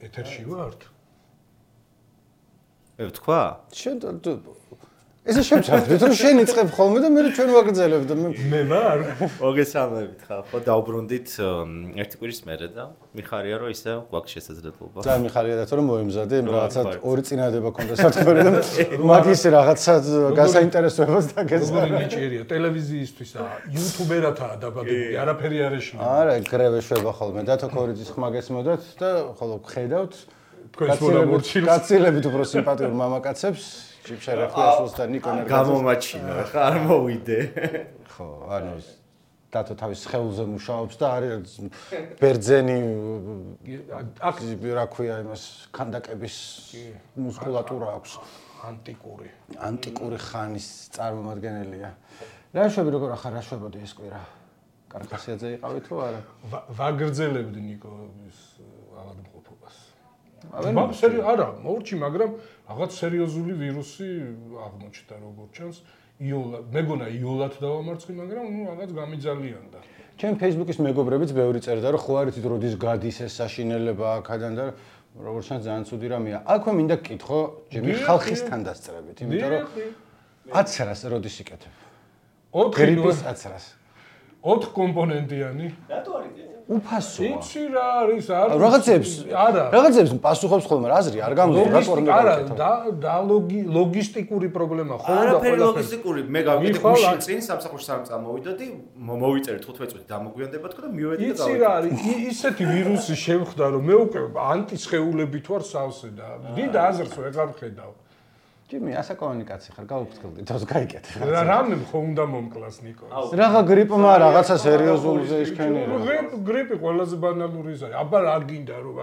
ეთერში ვართ? თქვა? შენ ესე შევჭარბეთ, რომ შენ იწყებ ხოლმე და მე ჩვენ ვაგრძელებ და მე ვარ. მოგესალმებით ხა, ხო დაუბრუნდით ერთი კვირის მერე და მიხარია რომ ისე გვაქვს შესაძლებლობა. და მიხარია და რომ მოემზადე, რაღაცა ორი წინადადება ქონდა სათქმელი და მაგის რაღაცა გასაინტერესოებას დაგეცდა. როგორი ნიჭიერია ტელევიზიისთვის და იუთუბერათაა დაბადებული, არაფერი არ ეშინია. არა, გრევე შვება ხოლმე და თოქორიძის ხმა გესმოდათ და ხოლო ხედავთ თქვენს მონამორჩილს. კაცილებით უფრო სიმპათიურ მამაკაცებს შიფშერეხლას და ნიკონ ერგაძეს გამომაჩინა, ხა არ მოვიდე. ხო, ანუ დათო თავის სხეულზე მუშაობს და არის ბერძენი აქ რა ქვია იმას ქანდაკების მუსკულატურა აქვს ანტიკური ხანის წარმომადგენელია. რა შვები როგორ ახარ რა შვებოდი ეს კვირა? კარგასიაძე იყავი თუ არა? ვაგრძელებდი ნიკოს ავადმყოფობას. არა, მორჩი, მაგრამ რაღაც სერიოზული ვირუსი აღმოჩნდა როგორც ჩანს. მეგონა იოლად დავამარცხი, მაგრამ რაღაც გამიძალიანდა. ჩემ Facebook-ის მეგობრებიც ბევრი წერდა, რომ ხო არიცით როდის გადის ეს საშინელება აქედან და როგორც ჩანს ძალიან ცუდი რამეა. აქვე მინდა გკითხო, ჯერ ხალხისთან დასწრებით, იმიტომ რომ 10-რას როდის იკეთებ? 4 გრიპის 10-რას. 4 კომპონენტიანი. რატო არის ეს? უფასოა. იცი რა არის? რაღაცებს პასუხობს ხოლმე, აზრი არ გამოდის, რატო არ არა, და ლოგისტიკური პრობლემა ხო? არაფერი ლოგისტიკური, მე გავიგე გუშინ წინ სამსახურში არ წამოვიდოდი, მოვიწერეთ 15 წუთი დამოგვიანდება თქო და მივედი და გავიგე. იცი რა არის? ისეთი ვირუსი შევხვდა, რომ მე უკვე ანტისხეულებით ვარ სავსე და დიდ აზრს ვეღარ ვხედავ. ჯიმი, ასაკოვანი კაცი ხარ, გავუფრთხილდი, თავს გაიკეთე. რამე ხო უნდა მომკლას ნიკოს. რაღა გრიპმა რაღაცა სერიოზულზე ისქენია. გრიპი ყველაზე ბანალური ზარი. აბა რა გინდა რომ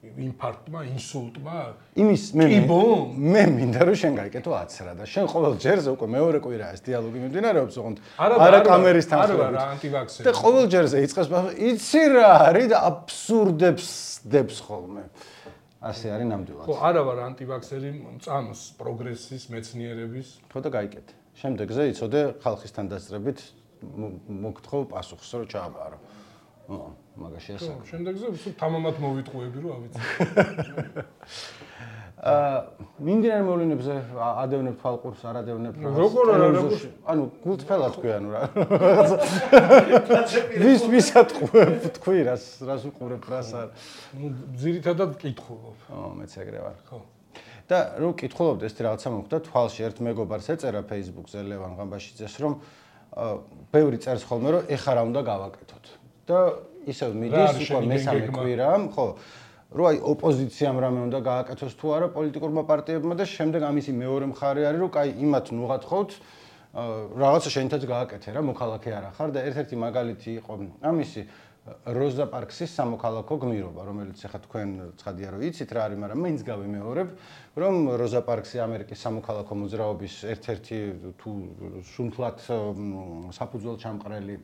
ინფარქტმა, ინსულტმა? იმის მე მინდა რომ შენ გაიკეთო 10 რა და შენ ყოველ ჯერზე უკვე მეორე კვირაა ეს დიალოგი მიმდინარეობს ოღონდ არა კამერის თანხმობით. არა ანტივაქსერი. და ყოველ ჯერზე იწყებს იცი რა არის და აბსურდებს დებს ხოლმე. ასე არის ნამდვილად. ხო, არა ვარ ანტივაქსერი, წამს პროგრესის, მეცნიერების. ხო და გაიკეთე. შემდეგზე იცოდე ხალხისთან დასწრებით მოგთხოვ პასუხს რომ ჩააბარო. მაგაში ასე. ხო, შემდეგზე თამამად მოვიტყუები რომ ავიცი. მიმდინარე მოვლენებზე ადევნებ თვალყურს, არ ადევნებ რაღაც. როგორ არა, ანუ გულწრფელად თქვი ანუ რა. ვისად თქვი რას უყურებ რას არ. ძირითადად კითხულობ. მეც ეგრე ვარ. ხო. და რო კითხულობდი ეს რაღაცა მოხდა თვალში ერთ მეგობარს ეწერა Facebook-ზე ლევან ღამბაშიძეს რომ ბევრი წერს ხოლმე რომ ეხა რა უნდა გავაკეთოთ. და ისევ მიდის უკვე მესამე კვირა, ხო. რო აი ოპოზიციამ რამე უნდა გააკეთოს თუ არა პოლიტიკურმა პარტიებმა და შემდეგ ამისი მეორე მხარე არის რომ კაი იმათ ნუღათხოვთ რაღაცა შენთაც გააკეთე რა მოქალაქე არა ხარ და ერთ-ერთი მაგალითი იყო ამისი როზა პარქსის სამოქალაქო გმირობა რომელიც ახლა თქვენ ცხადია რომ იცით რა არის მაგრამ მაინც გავიმეორებ რომ როზა პარქსი ამერიკის სამოქალაქო მოძრაობის ერთ-ერთი თუ სუნთლად საფუძველ ჩამყრელი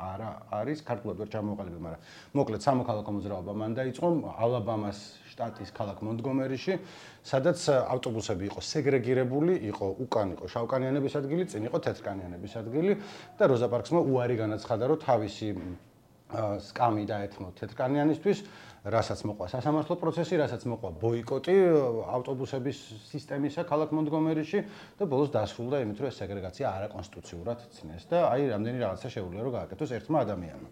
არა არის ქართულად ვერ ჩამოყალიბე, მაგრამ მოკლედ სამოქალაქო მოძრაობა მან დაიწყო ალაბამას შტატის ქალაქ მონტგომერიში, სადაც ავტობუსები იყო სეგრეგირებული, იყო უკან იყო შავკანიანების ადგილი, წინ იყო თეთრკანიანების ადგილი და როზა პარქსმა უარი განაცხადა, რომ თავისი სკამი დაეთმო თეთრკანიანისთვის, რასაც მოყვა სასამართლო პროცესი, რასაც მოყვა ბოიკოტი ავტობუსების სისტემისა ქალაქ მონტგომერიში და ბოლოს დასრულდა იმით, რომ ეს სეგრეგაცია არაკონსტიტუციურად ცნეს და აი რამდენი რაღაცა შეუძლია რომ გააკეთოს ერთმა ადამიანმა.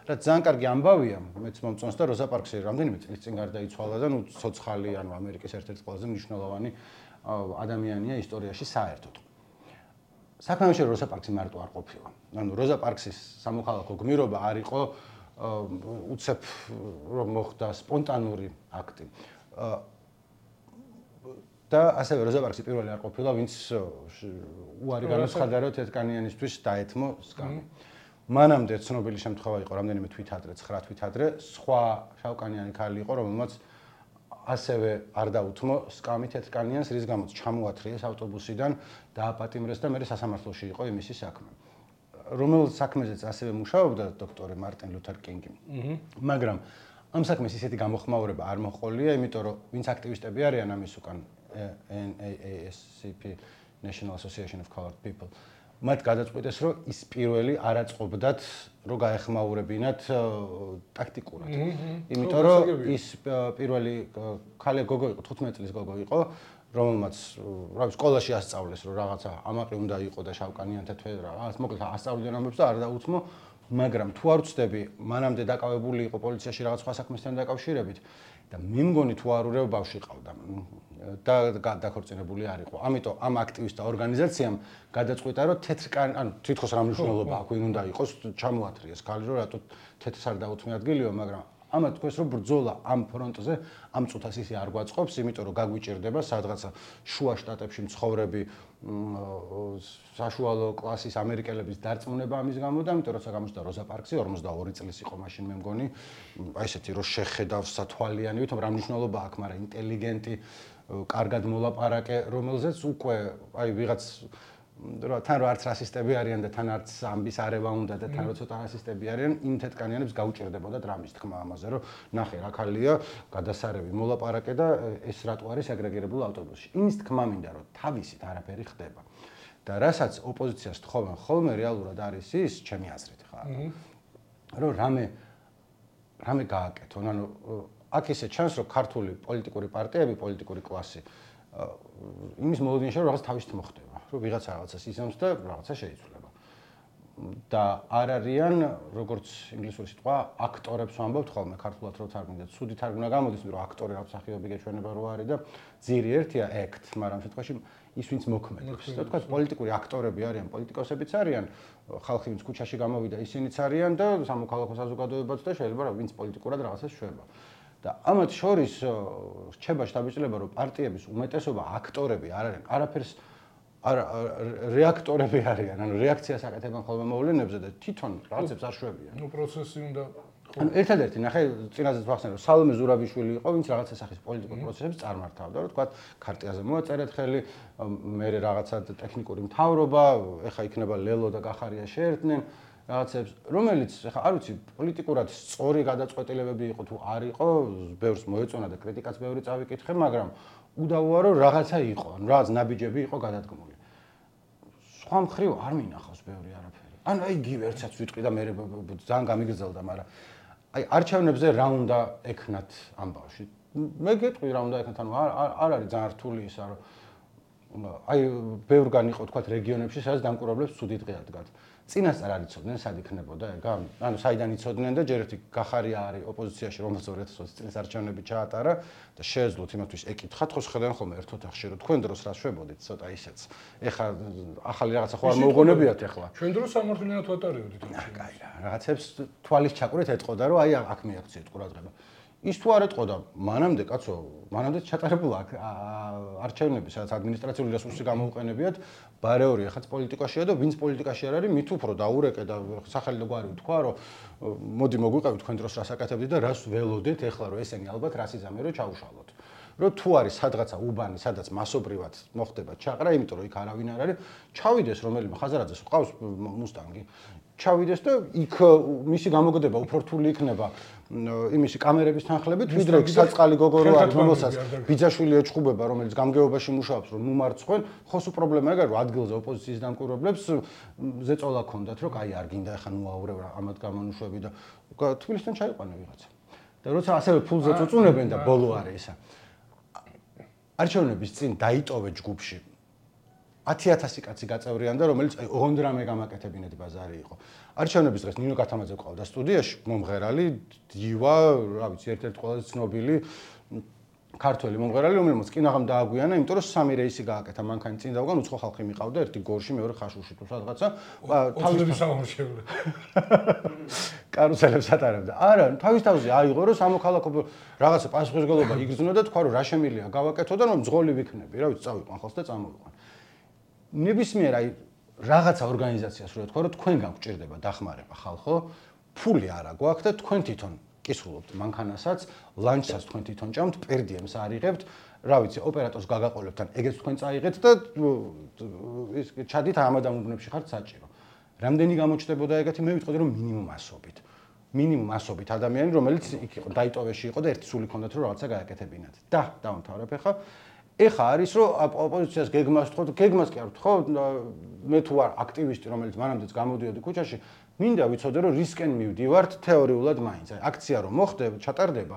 რაც ძალიან კარგი ამბავია, მეც მომწონს და როზა პარქსი რამდენიმე წლის წინ გარდაიცვალა და ნუ ცოცხალი ანუ ამერიკის ერთ-ერთი ყველაზე მნიშვნელოვანი ადამიანია ისტორიაში საერთოდ. საქმე ამაში როზა პარქსი მარტო არ ყოფილა. ანუ როზა პარქსის სამოქალაქო გმირობა არ იყო უცებ რომ მოხდა სპონტანური აქტი. და ასევე როზა პარქსი პირველი არ ყოფილა, ვინც უარი განაცხადა, რომ თეთრკანიანისთვის დაეთმო სკამი. მანამდე ცნობილი შემთხვევა იყო რამდენიმე თვით ადრე, 9 თვით ადრე, სხვა შავკანიანი ქალი იყო, რომელმაც ასევე არ დაუთმო სკამი თეთრკანიანს, რის გამოც ჩამოათრიეს ავტობუსიდან, დააპატიმრეს და მერე სასამართლოში იყო იმისი საქმე. რომელ საქმეზეც ასევე მუშაობდა დოქტორი მარტინ ლუთერ კინგი. მაგრამ ამ საქმეს ისეთი გამოხმაურება არ მოყოლია, იმიტომ რომ ვინც აქტივისტები არიან ამის უკან NAACP National Association of Colored People მათ გადაწყვიტეს, რომ ის პირველი არ აწყობდათ, რომ გაეხმაურებინათ ტაქტიკურად. იმიტომ რომ ის პირველი ქალი გოგო იყო, 15 წლის გოგო იყო, რომელმაც სკოლაში ასწავლეს, რომ რაღაცა ამაყი უნდა იყო და შავკანიანთა თვე რაღაც მოკლედ ასწავლდნენ ამბებს და არ დაუთმო, მაგრამ თუ არ ვწდები, მანამდე დაკავებული იყო პოლიციაში რაღაც სხვა საქმესთან დაკავშირებით და მე მგონი თუ არ ურევ ბავშვი ყავდა და დაქორწინებული არ იყო. ამიტომ ამ აქტივისტთა ორგანიზაციამ გადაწყვიტა, რომ თეთრკანი, ანუ თითქოს რა მნიშვნელობა აქვს, ვინ უნდა იყოს, ჩამოათრიეს ქალი, რომ რატო თეთრს არ დაუთმე ადგილიო, მაგრამ ამათ თქვენს რომ ბრძოლა ამ ფრონტზე ამ წუთას ისე არ გვაწყობს, იმიტომ რომ გაგვიჭირდება სადღაცა შუა შტატებში მცხოვრები საშუალო კლასის ამერიკელების დარწმუნება ამის გამო და ამიტომ როცა გამოჩნდა როზა პარქსი 42 წლის იყო მაშინ მე მგონი, აი ესეთი რომ შეხედავს სათვალიანი, ვითომ რა მნიშვნელობა აქვს, მაგრამ ინტელიგენტი, კარგად მოლაპარაკე, რომელზეც უკვე აი ვიღაც თან რო არც რასისტები არიან და თან არც ამბის არევა უნდა და თან რო ცოტა რასისტები არიან, იმ თეთრკანიანებს გაუჭირდებოდა დრამის თქმა ამაზე, რომ ნახე რა ქალია, გადასარევი მოლაპარაკე და ეს რატო არის აგრეგირებულ ავტობუსში. იმის თქმა მინდა, რომ თავისით არაფერი ხდება. და რასაც ოპოზიციას თხოვენ ხოლმე რეალურად არის ის, ჩემი აზრით ხა, რომ რამე გააკეთონ, ანუ აქ ისე ჩანს, რომ ქართული პოლიტიკური პარტიები, პოლიტიკური კლასი იმის მოლოდინში რომ რაღაც თავისით მოხდება, რომ ვიღაცა რაღაცას იზამს და რაღაცა შეიცვლება. და არ არიან, როგორც ინგლისური სიტყვა, აქტორებს ვამბობთ ხოლმე ქართულად რო თარგმნით, ცუდი თარგმნა გამოდის, რომ აქტორი რა მსახიობი გეჩვენება რო არის და ძირი ერთია act, მაგრამ შემთხვევაში ის ვინც მოქმედებს. და თქვა პოლიტიკური აქტორები არიან, პოლიტიკოსებიც არიან, ხალხი ვინც ქუჩაში გამოვიდა, ისინიც არიან და სამოქალაქო საზოგადოებაც და შეიძლება ვინც პოლიტიკურად რაღაცას შვება. და ამათ შორის რჩება შთაბეჭდილება, რომ პარტიების უმეტესობა აქტორები არ არიან, არაფერს რეაქტორები არიან, ანუ რეაქციას აკეთებენ ხოლმე მოვლენებზე და თვითონ რაღაცებს არ შვებიან. ნუ პროცესი უნდა ანუ ერთადერთი ნახე წინაზეც ვახსენე, რომ სალომე ზურაბიშვილი იყო, ვინც რაღაცა სახის პოლიტიკურ პროცესებს წარმართავდა, რომ თქვა ქარტიაზე მოაწერეთ ხელი, მე რაღაცა ტექნიკური მთავრობა, ეხა იქნება ლელო და გახარია შეერთდნენ რაღაცებს, რომელიც ეხა არ ვიცი, პოლიტიკურად სწორი გადაწყვეტილებები იყო თუ არ იყო, ბევრს მოეწონა და კრიტიკაც ბევრი წავიკითხე, მაგრამ უდავოა რომ რაღაცა იყო, ანუ რაღაც ნაბიჯები იყო გადადგმული. სხვა მხრივ არ მინახავს ბევრი არაფერი. ანუ აი იგივე ერთსაც ვიტყვი და მე ძალიან გამიგრძელდა, მაგრამ აი არჩევნებზე რა უნდა ეკნათ ამ ბავშვი. მე გეტყვი რა უნდა ეკნათ, ანუ არ არის ძალიან რთული ისა, რომ აი ბევრგან იყო თქვა რეგიონებში, სადაც დამკვირვებლებს ცუდი დღე ადგათ. წინასწარ არ იცოდნენ, სად იქნებოდა ეგ? ანუ საიდან იცოდნენ და ჯერ ერთი გახარია არის ოპოზიციაში, რომელსაც 2020 წლის არჩევნები ჩაატარა და შეეძლოთ იმათთვის ეკითხათ, ხო შეხედან ხოლმე ერთ ოთახში, რომ თქვენ დროს რა შვებოდით, ცოტა ისეც. ეხლა ახალი რაღაცა ხო არ მოუგონებიათ ეხლა. ჩვენ დროს სამართლიანად ვატარებდით. კაი რა, რაღაცებს თვალის ჩაკვრით ეტყოდა, რომ აი აქ მიაქციეთ ყურადღება. ის თუ არ ეტყოდა, მანამდე კაცო, მანამდე ჩატარებულა არჩევნები, სადაც ადმინისტრაციული რესურსი გამოუყენებიათ, ბარეორი ახაც პოლიტიკაშია და ვინც პოლიტიკაში არ არის, მით უფრო დაურეკე და სახელი და გვარი თქვა, რომ მოდი მოგვიყევით თქვენ დროს რას აკეთებდით და რას ველოდეთ ეხლა, რომ ესენი ალბათ რას იზამენ, რომ ჩაუშალოთ. რომ თუ არის სადღაცა უბანი, სადაც მასობრივად მოხდება ჩაყრა, იმიტომ რომ იქ არავინ არ არის, ჩავიდეს რომელიმე ხაზარაძეს ყავს მუსტანგი. ჩავიდეს და იქ მისი გამოგდება უფრო რთული იქნება იმისი კამერების თანხლებით, ვიდრე საწყალი გოგო რო არის, რომელსაც ბიძაშვილი ეჩხუბება, რომელიც გამგეობაში მუშაობს, რომ ნუმარცხენ, ხოს პრობლემა ეგ არის, რომ ადგილზე ოპოზიციის დამკვირვებლებს ზეწოლა ქონდათ, რომ აი არ გინდა ახლა ნუაურევ ამათ გამონუშვები და თბილისთან ჩაიყვანა ვიღაცა. და როცა ასევე ფულზე წუწუნებენ და ბოლო არის ისა. არჩევნების წინ დაიტოვე ჯგუფში 10,000 კაცი გაწევრიანდა, რომელიც ოღონდ რამე გამაკეთებინეთ ბაზარი იყო. არჩევნების დღეს ნინო კათამაძე ყავდა სტუდიაში, მომღერალი, დივა, რა ვიცი, ერთ-ერთი ყველაზე ცნობილი ქართველი მომღერალი, რომელმაც კინაღამ დააგვიანა, იმიტომ რომ სამი რეისი გააკეთა მანქანის წინ დავგან, უცხო ხალხი მიყავდა, ერთი გორში, მეორე ხაშურში თუ სადღაცა. თავის სამომრჩევლე. კარუსელებს ატარებდა. არა, თავის თავზე აიღო, რომ სამოქალაქო რაღაცა პასუხისმგებლობა იგრძნო და თქვა, რომ რა შემილია გავაკეთო და რომ მძღოლი ვიქნები, რა ვიცი, წავიყვან ხალხს და წამოვიყვან. ნებისმიერ აი რაღაცა ორგანიზაციას რო თქვა, რომ თქვენ გაგჭირდება დახმარება ხალხო, ფული არა გვაქვს და თქვენ თვითონ კისრულობთ მანქანასაც, ლანჩსაც თქვენ თვითონ ჭამთ, პერდიემს არიღებთ, რა ვიცი, ოპერატორს გაგაყოლებთ, ან ეგეც თქვენ წაიღეთ და ის ჩადით ამადამ უბნებში ხართ საჭირო. რამდენი გამოჩნდებოდა ეგეთი, მე ვიტყოდი რომ მინიმუმ ასობით ადამიანი, რომელიც იქ იყო, დაიტოვეში იყო და ერთი სული ჰქონდათ რომ რაღაცა გააკეთებინათ. და დავამთავრებ ახლა ეხა არის რომ ოპოზიციას გეგმას ვთხოვთ, გეგმას კი არ ვთხოვთ, მე თუ ვარ აქტივისტი, რომელიც მანამდეც გამოდიოდი ქუჩაში, მინდა ვიცოდე რომ რისკენ მივდივართ თეორიულად მაინც. აი აქცია რომ მოხდება, ჩატარდება,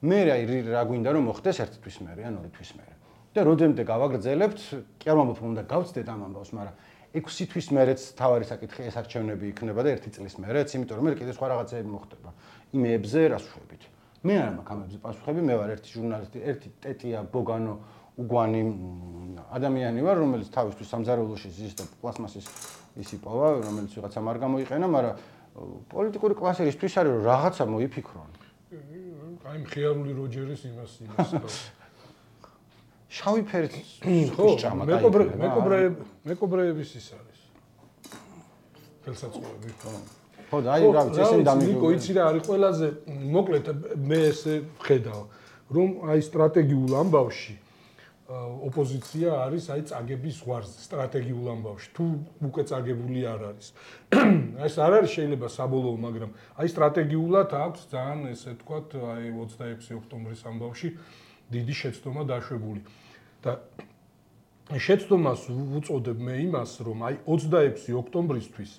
მე რა გვინდა რომ მოხდეს ერთი თვის მერე ან ორი თვის მერე. და როდემდე გავაგრძელებთ, კი არ მომბობ უნდა გავცდეთ ამ ამბავს, მაგრამ 6 თვის მერეც თავარი საკითხი ეს არჩევნები იქნება და 1 წლის მერეც, იმიტომ რომ მე კიდე სხვა რაღაცები მოხდება. იმებზე რას ვშვებით. მე არ მაქვს ამებზე პასუხები, მე ვარ ერთი ჟურნალისტი, ერთი ტეტია ბოგანო უგვანი ადამიანი ვარ, რომელიც თავისთვის სამზარეულოში ზის და პლასმასის ის იპოვა, რომელიც ვიღაცა არ გამოიყენა, მაგრამ პოლიტიკური კლასი ისთვის არის რომ რაღაცა მოიფიქრონ. აი მხიარული როჯერის იმას. შავი ფერით ხო, მეკობრეების ის არის. ხელსაწყოები. ხო და აი რა ვიცი ესენი დამიგო. ნიკო იცი რა არის ყველაზე მოკლედ მე ესე ვხედავ რომ აი სტრატეგიულ ამბავში ოპოზიცია არის აი წაგების ზღვარზე სტრატეგიულ ამბავში თუ უკვე წაგებული არ არის. აი ეს არ არის შეიძლება საბოლოო, მაგრამ აი სტრატეგიულად აქვს ძალიან ესე თქვათ აი 26 ოქტომბრის ამბავში დიდი შეცდომა დაშვებული. და შეცდომას უწოდებ მე იმას, რომ აი 26 ოქტომბრისთვის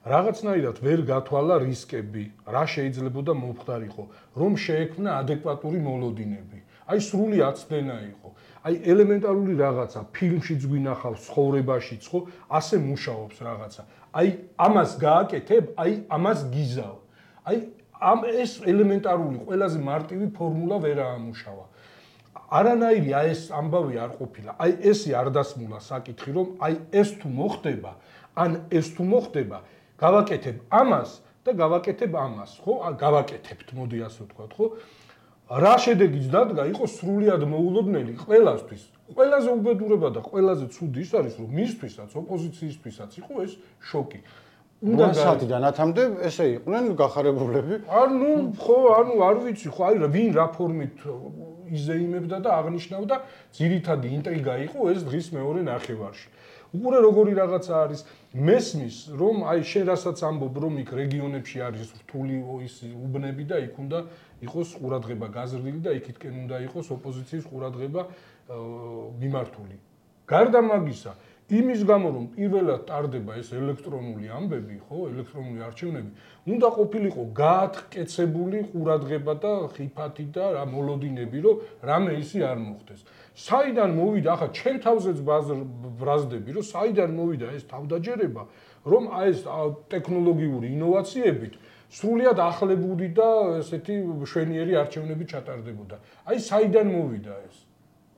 რაღაცნაირად ვერ გათვალა რისკები, რა შეიძლებოდა მომხდარიყო, რომ შეექმნა ადეკვატური მოლოდინები. აი სრული აცდენა იყო. აი ელემენტარული რაღაცა, ფილმშიც გვინახავს, ცხოვრებაშიც ხო, ასე მუშაობს რაღაცა. აი ამას გააკეთებ, აი ამას გიზავ. აი ამ ეს ელემენტარული ყველაზე მარტივი ფორმულა ვერ აამუშავა. არანაირი აი ეს ამბავი არ ყოფილა. აი ესე არ დასმულა საკითხი, რომ აი ეს თუ მოხდება, ან ეს თუ მოხდება, გავაკეთებ ამას და გავაკეთებ ამას, ხო? გავაკეთებთ, მოდი ასე ვთქვათ, ხო? რა შედეგიც დადგა, იყო სრულიად მოულოდნელი ყველასთვის. ყველაზე უბედურება და ყველაზე ცუდი ის არის, რომ მისთვისაც, ოპოზიციისთვისაც იყო ეს შოკი. უნდა საათიდან 10-მდე ესე იყვნენ გახარებულები. ხო, არ ვიცი, ხო, აი ვინ რა ფორმით იზეიმებდა და აღნიშნავდა, ძირითადი ინტრიგა იყო ეს დღის მეორე ნახევარში. უყურე როგორი რაღაცა არის, მესმის, რომ აი შენ რასაც ამბობ, რომ იქ რეგიონებში არის რთული ის უბნები და იქ უნდა იყოს ყურადღება გაზრდილი და იქითკენ უნდა იყოს ოპოზიციის ყურადღება მიმართული. გარდა მაგისა, იმის გამო რომ პირველად ტარდება ეს ელექტრონული ამბები, ხო, ელექტრონული არჩევნები, უნდა ყოფილიყო გაათკეცებული ყურადღება და ხიფათი და რა მოლოდინები, რომ რამე ისი არ მოხდეს. საიდან მოვიდა, ახლა ჩემ თავზეც ბრაზდები, რომ საიდან მოვიდა ეს თავდაჯერება, რომ აი ეს ტექნოლოგიური ინოვაციებით სრულიად ახლებუდი და ესეთი მშვენიერი არჩევნები ჩატარდებოდა. აი საიდან მოვიდა ეს?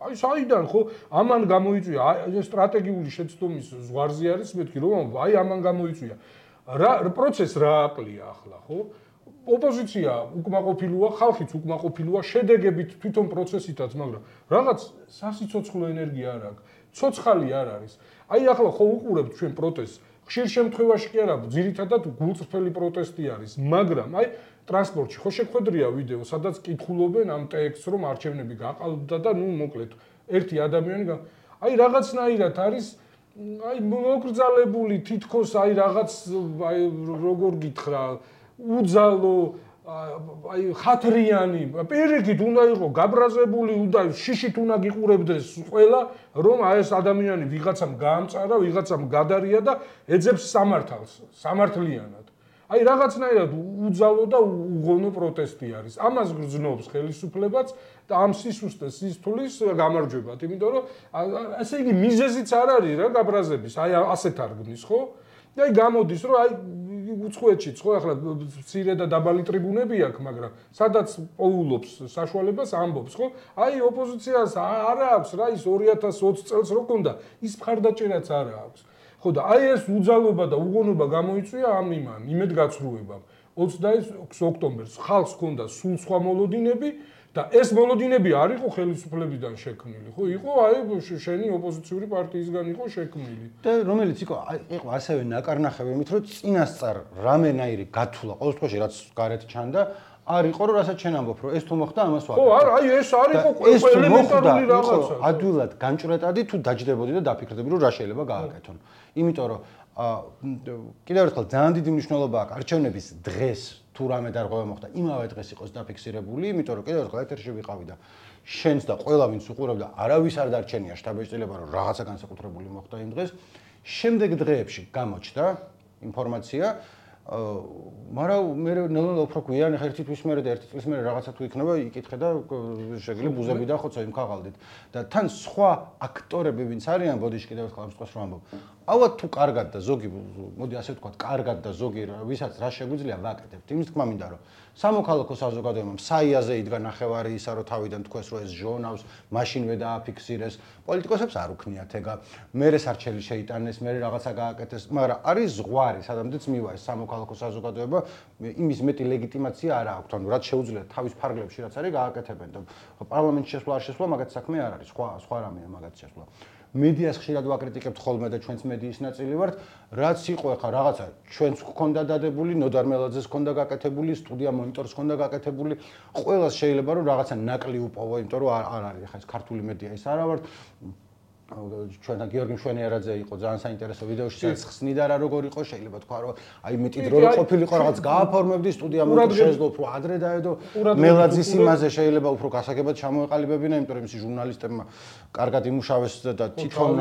აი საიდან ხო? ამან გამოიწვია აი სტრატეგიული შეცდომის ზღვარზე არის მეთქი, რომ აი ამან გამოიწვია. რა პროცესს რა აყლია ახლა, ხო? ოპოზიცია უკმაყოფილოა, ხალხიც უკმაყოფილოა, შედეგებით თვითონ პროცესითაც, მაგრამ რაღაც სასიცოცხლო ენერგია არ აქვს, ცოცხალი არ არის. აი ახლა ხო უყურებთ ჩვენ პროტესტს, ხშირ შემთხვევაში კი არა, ძირითადად გულწრფელი პროტესტი არის, მაგრამ აი ტრანსპორტში ხო შეხვედრია ვიდეო, სადაც კითხულობენ ამ ტექსტს, რომ არჩევნები გაყალბდა და ნუ მოკლედ ერთი ადამიანი აი რაღაცნაირად არის აი მოკრძალებული თითქოს აი რაღაც აი როგორ გითხრა უძალო აი ხათრიანი პირიქით უნდა იყო გაბრაზებული, უნდა შიშით უნდა გიყურებდეს ყველა, რომ აი ეს ადამიანი ვიღაცამ გაამწარა, ვიღაცამ გადარია და ეძებს სამართალს, სამართლიანად. აი რაღაცნაირად უძალო და უღონო პროტესტი არის. ამას გრძნობს ხელისუფლებაც და ამ სისუსტეს სისთulis გამარჯვებათ, იმიტომ რომ ასე იგი მიზეზიც არ არის რა გაბრაზების, აი ასეთ არგნის, ხო? და აი გამოდის, რომ აი უცხოეთშიც ხო ახლა მცირე და დაბალი ტრიბუნები აქვს, მაგრამ სადაც პოულობს საშუალებას ამბობს, ხო? აი ოპოზიციას არ აქვს რა ის 2020 წელს რო ქონდა, ის მხარდაჭერაც არ აქვს. ხო და აი ეს უძალობა და უღონობა გამოიწვია ამ იმედგაცრუებამ. 26 ოქტომბერს ხალხს ჰქონდა სულ სხვა მოლოდინები და ეს მოლოდინები არ იყო ხელისუფლებიდან შექმნილი, ხო? იყო აი შენი ოპოზიციური პარტიისგან იყო შექმნილი. და რომელიც იყო ასევე ნაკარნახევი იმით, რომ წინასწარ რამენაირი გათვლა ყოველ შემთხვევაში რაც გარეთ ჩანდა, არ იყო რომ რასაც შენ ამბობ, რომ ეს თუ მოხდა, ამას ვაკეთებ. ხო, აი ეს არ იყო ელემენტარული რაღაცა. ადვილად განჭრეტადი თუ დაჯდებოდი და დაფიქრდები, რომ რა შეიძლება გააკეთონ. იმიტომ რომ კიდევ ერთხელ ძალიან დიდი მნიშვნელობა აქვს არჩევნების დღეს თუ რამე დარღვევა მოხდა, იმავე დღეს იყოს დაფიქსირებული, იმიტომ რომ კიდევ ერთხელ ეთერში ვიყავი და შენს და ყველა ვინც უყურებდა, არავის არ დარჩენია შთაბეჭდილება, რომ რაღაცა განსაკუთრებული მოხდა იმ დღეს. შემდეგ დღეებში გამოჩნდა ინფორმაცია, მაგრამ მე ნელ-ნელა უფრო გვიან, ხა ერთი თვის მერე და ერთი წლის მერე რაღაცა თუ იქნება, იკითხე და შეგიძლია ბუზები და ხოცო იმ ქაღალდით. და თან სხვა აქტორები ვინც არიან, ბოდიში კიდევ ერთხელ ამ სხვას რომ ამბობ. ალბათ თუ კარგად და ზოგი, მოდი ასე ვთქვათ, კარგად და ზოგი ვისაც რა შეგვიძლია ვაკეთებთ. იმის თქმა მინდა რომ სამოქალაქო საზოგადოებამ საიაზე იდგა ნახევარი ისა რომ თავიდან თქვეს რომ ეს ჟონავს, მაშინვე დააფიქსირეს. პოლიტიკოსებს არ უქნიათ ეგა. მერე სარჩელი შეიტანეს, მერე რაღაცა გააკეთეს, მაგრამ არის ზღვარი, სადამდეც მივა ეს სამოქალაქო საზოგადოება, იმის მეტი ლეგიტიმაცია არ აქვს. ანუ რაც შეუძლიათ თავის ფარგლებში რაც არის გააკეთებენ და პარლამენტში შესვლა არ შესვლა მაგათ საქმე არ არის, სხვა რამეა მაგათ შესვლა. მედიას ხშირად ვაკრიტიკებთ ხოლმე და ჩვენც მედიის ნაწილი ვართ, რაც იყო ახლა რაღაცა ჩვენც გქონდა დადებული, ნოდარ მელაძეს გქონდა გაკეთებული, სტუდია მონიტორს გქონდა გაკეთებული, ყველას შეიძლება რომ რაღაცა ნაკლი უპოვო, იმიტომ რომ არ არის ახლა ეს ქართული მედია ის არა ვართ. ჩვენთან გიორგი მშვენიერაძე იყო ძალიან საინტერესო ვიდეოში, სადაც ხსნიდა რა როგორ იყო, შეიძლება თქვა რომ აი მეტი დრო ყოფილიყო რაღაც გააფორმებდი სტუდია მონიტორს შეძლო უფრო ადრე დაედო მელაძის იმაზე შეიძლება უფრო გასაგებად ჩამოეყალიბებინა, იმიტომ რომ ის ჟურნალისტებმა კარგად იმუშავეს და თვითონ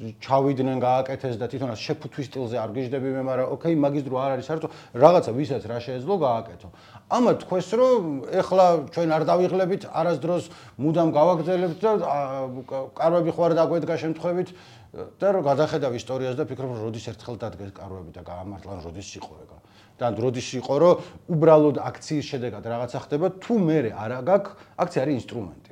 ჩავიდნენ გააკეთეს და თვითონაც შეფუთვის სტილზე არ გიждები მე, მაგრამ ოკეი, მაგის დრო არ არის საერთოდ რაღაცა ვისაც რა შეეძლო გააკეთო. ამა თქვეს რომ ეხლა ჩვენ არ დავიღლებით, არასდროს მუდამ გავაგრძელებთ და კარვები ხო არ დაგვედგა შემთხვევით და რომ გადახედავ ისტორიას და ფიქრობ რომ როდის ერთხელ დადგეს კარვები და გაამართლა როდის იყო ეგა. და როდის იყო რომ უბრალოდ აქციის შედეგად რაღაცა ხდება, თუ მე არა გაქვს, აქცია არის ინსტრუმენტი.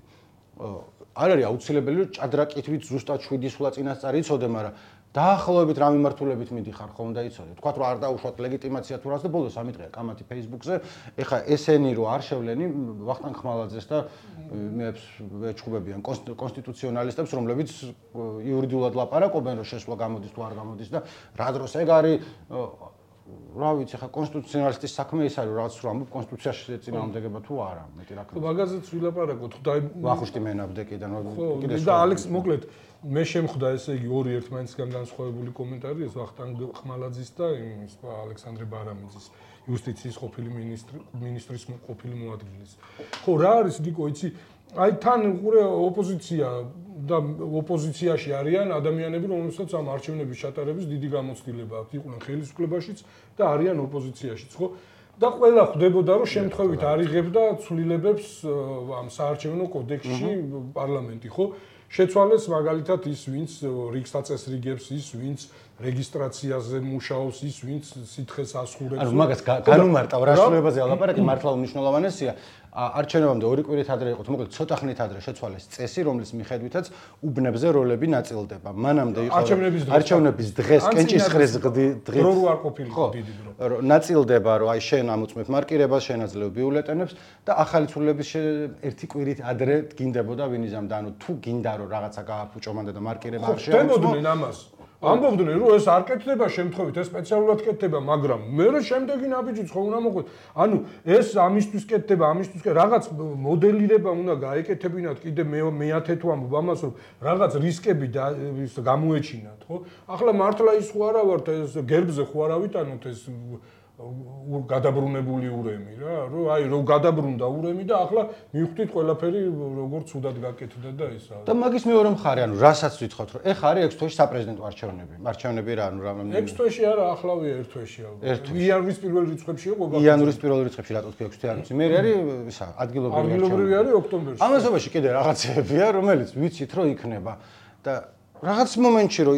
არ არის აუცილებელი რომ ჭადრაკითვით ზუსტად 7 სულა წინასწარ იცოდე, მაგრამ დაახლოებით რა მიმართულებით მიდიხარ ხომ და იცოდე. თქვათ რომ არ დაუშვათ ლეგიტიმაცია თუ რას და ბოლოს 3 დღეა კამათი Facebook-ზე. ეხა ესენი რო არ შევლენი ვახტანგ ხმალაძეს და მეებს ეჩხუბებიან კონსტიტუციონალისტებს, რომლებიც იურიდიულად ლაპარაკობენ რომ შესვლა გამოდის თუ არ გამოდის და რა დროს ეგ არის რა ვიცი, ხა კონსტიტუციონალისტის საქმე ის არის, რაღაც რომ ამბობ კონსტიტუციაში წინააღმდეგება თუ არა, მეტი რა ქვია. მაგაზეც ვილაპარაკოთ, ხდაი ვახუშტი მენაბდეკიდან კიდე და ალექს მოკლედ მე შემხვდა ესე იგი ორი ერთმანეთისგან განსხვავებული კომენტარი, ეს ვახტანგ ხმალაძის და იმის ალექსანდრე ბარამიძის, იუსტიციის ყოფილი მინისტრის ყოფილი მოადგილის. ხო, რა არის გიკო, იცი, აი თან უყურე ოპოზიცია და ოპოზიციაში არიან ადამიანები, რომელსაც ამ არჩევნების ჩატარების დიდი გამოცდილება აქვს. იყვნენ ხელისუფლებაშიც და არიან ოპოზიციაშიც, ხო? და ყველა ხვდებოდა, რომ შემთხვევით არიღებდა ცვლილებებს ამ საარჩევნო კოდექსში პარლამენტი, ხო? შეცვალეს მაგალითად ის, ვინც რიგს აწესრიგებს, ის, ვინც რეგისტრაციაზე მუშაობს, ის, ვინც სითხეს ასხურებს. ანუ მაგას განუმარტავ რა შრომებაზე ალაპარაკი მართლა უნიშნულოვანესია. არჩევნებამდე 2 კვირით ადრე იყო, მოკლედ ცოტა ხნით ადრე შეცვალეს წესი, რომლის მიხედვითაც უბნებზე როლები ნაწილდება. მანამდე იყო არჩევნების დღეს კენჭისყრის დღით დრო არ ყოფილიყო დიდი დრო. ნაწილდება, რომ აი შენ ამოწმებ მარკირებას, შენ აძლევ ბიულეტენებს და ახალი ცვლილებების 1 კვირით ადრე გინდებოდა ვინიზამ და ანუ თუ გინდა რომ რაღაცა გააფუჭო მანდ და მარკირება არ შეამოწმო. ხდებოდნენ ამას. ამბობდნენ რომ ეს არ კეთდება შემთხვევით, ეს სპეციალურად კეთდება, მაგრამ მე რა შემდეგი ნაბიჯიც ხო უნდა მოყვეთ. ანუ ეს ამისთვის კეთდება, ამისთვის რაღაც მოდელირება უნდა გაეკეთებინათ, კიდე მე-10 თუ ამბობ ამას, რომ რაღაც რისკები გამოეჩინათ, ხო? ახლა მართლა ის ხო არა ვართ, ეს გერბზე ხო არა ვიტანოთ ეს გადაბრუნებული ურემი რა, რომ აი რომ გადაბრუნდა ურემი და ახლა მივხვდით ყველაფერი როგორ ცუდად გაკეთდა და ისა. და მაგის მეორე მხარე, ანუ რასაც ვითხოვთ, რომ ეხა არის 6 თვეში საპრეზიდენტო არჩევნები. არჩევნები რა, ანუ რამე 6 თვეში არა, ახლავია 1 თვეში ალბათ. იანვრის პირველ რიცხვებში იყო გაფრთხილებული. იანვრის პირველ რიცხვებში რატო თქვი 6 თვე არ ვიცი. მე არის ისა ადგილობრივი არის ოქტომბერში. ამასობაში კიდე რაღაცებია, რომელიც ვიცით რომ იქნება და რაღაც მომენტში რომ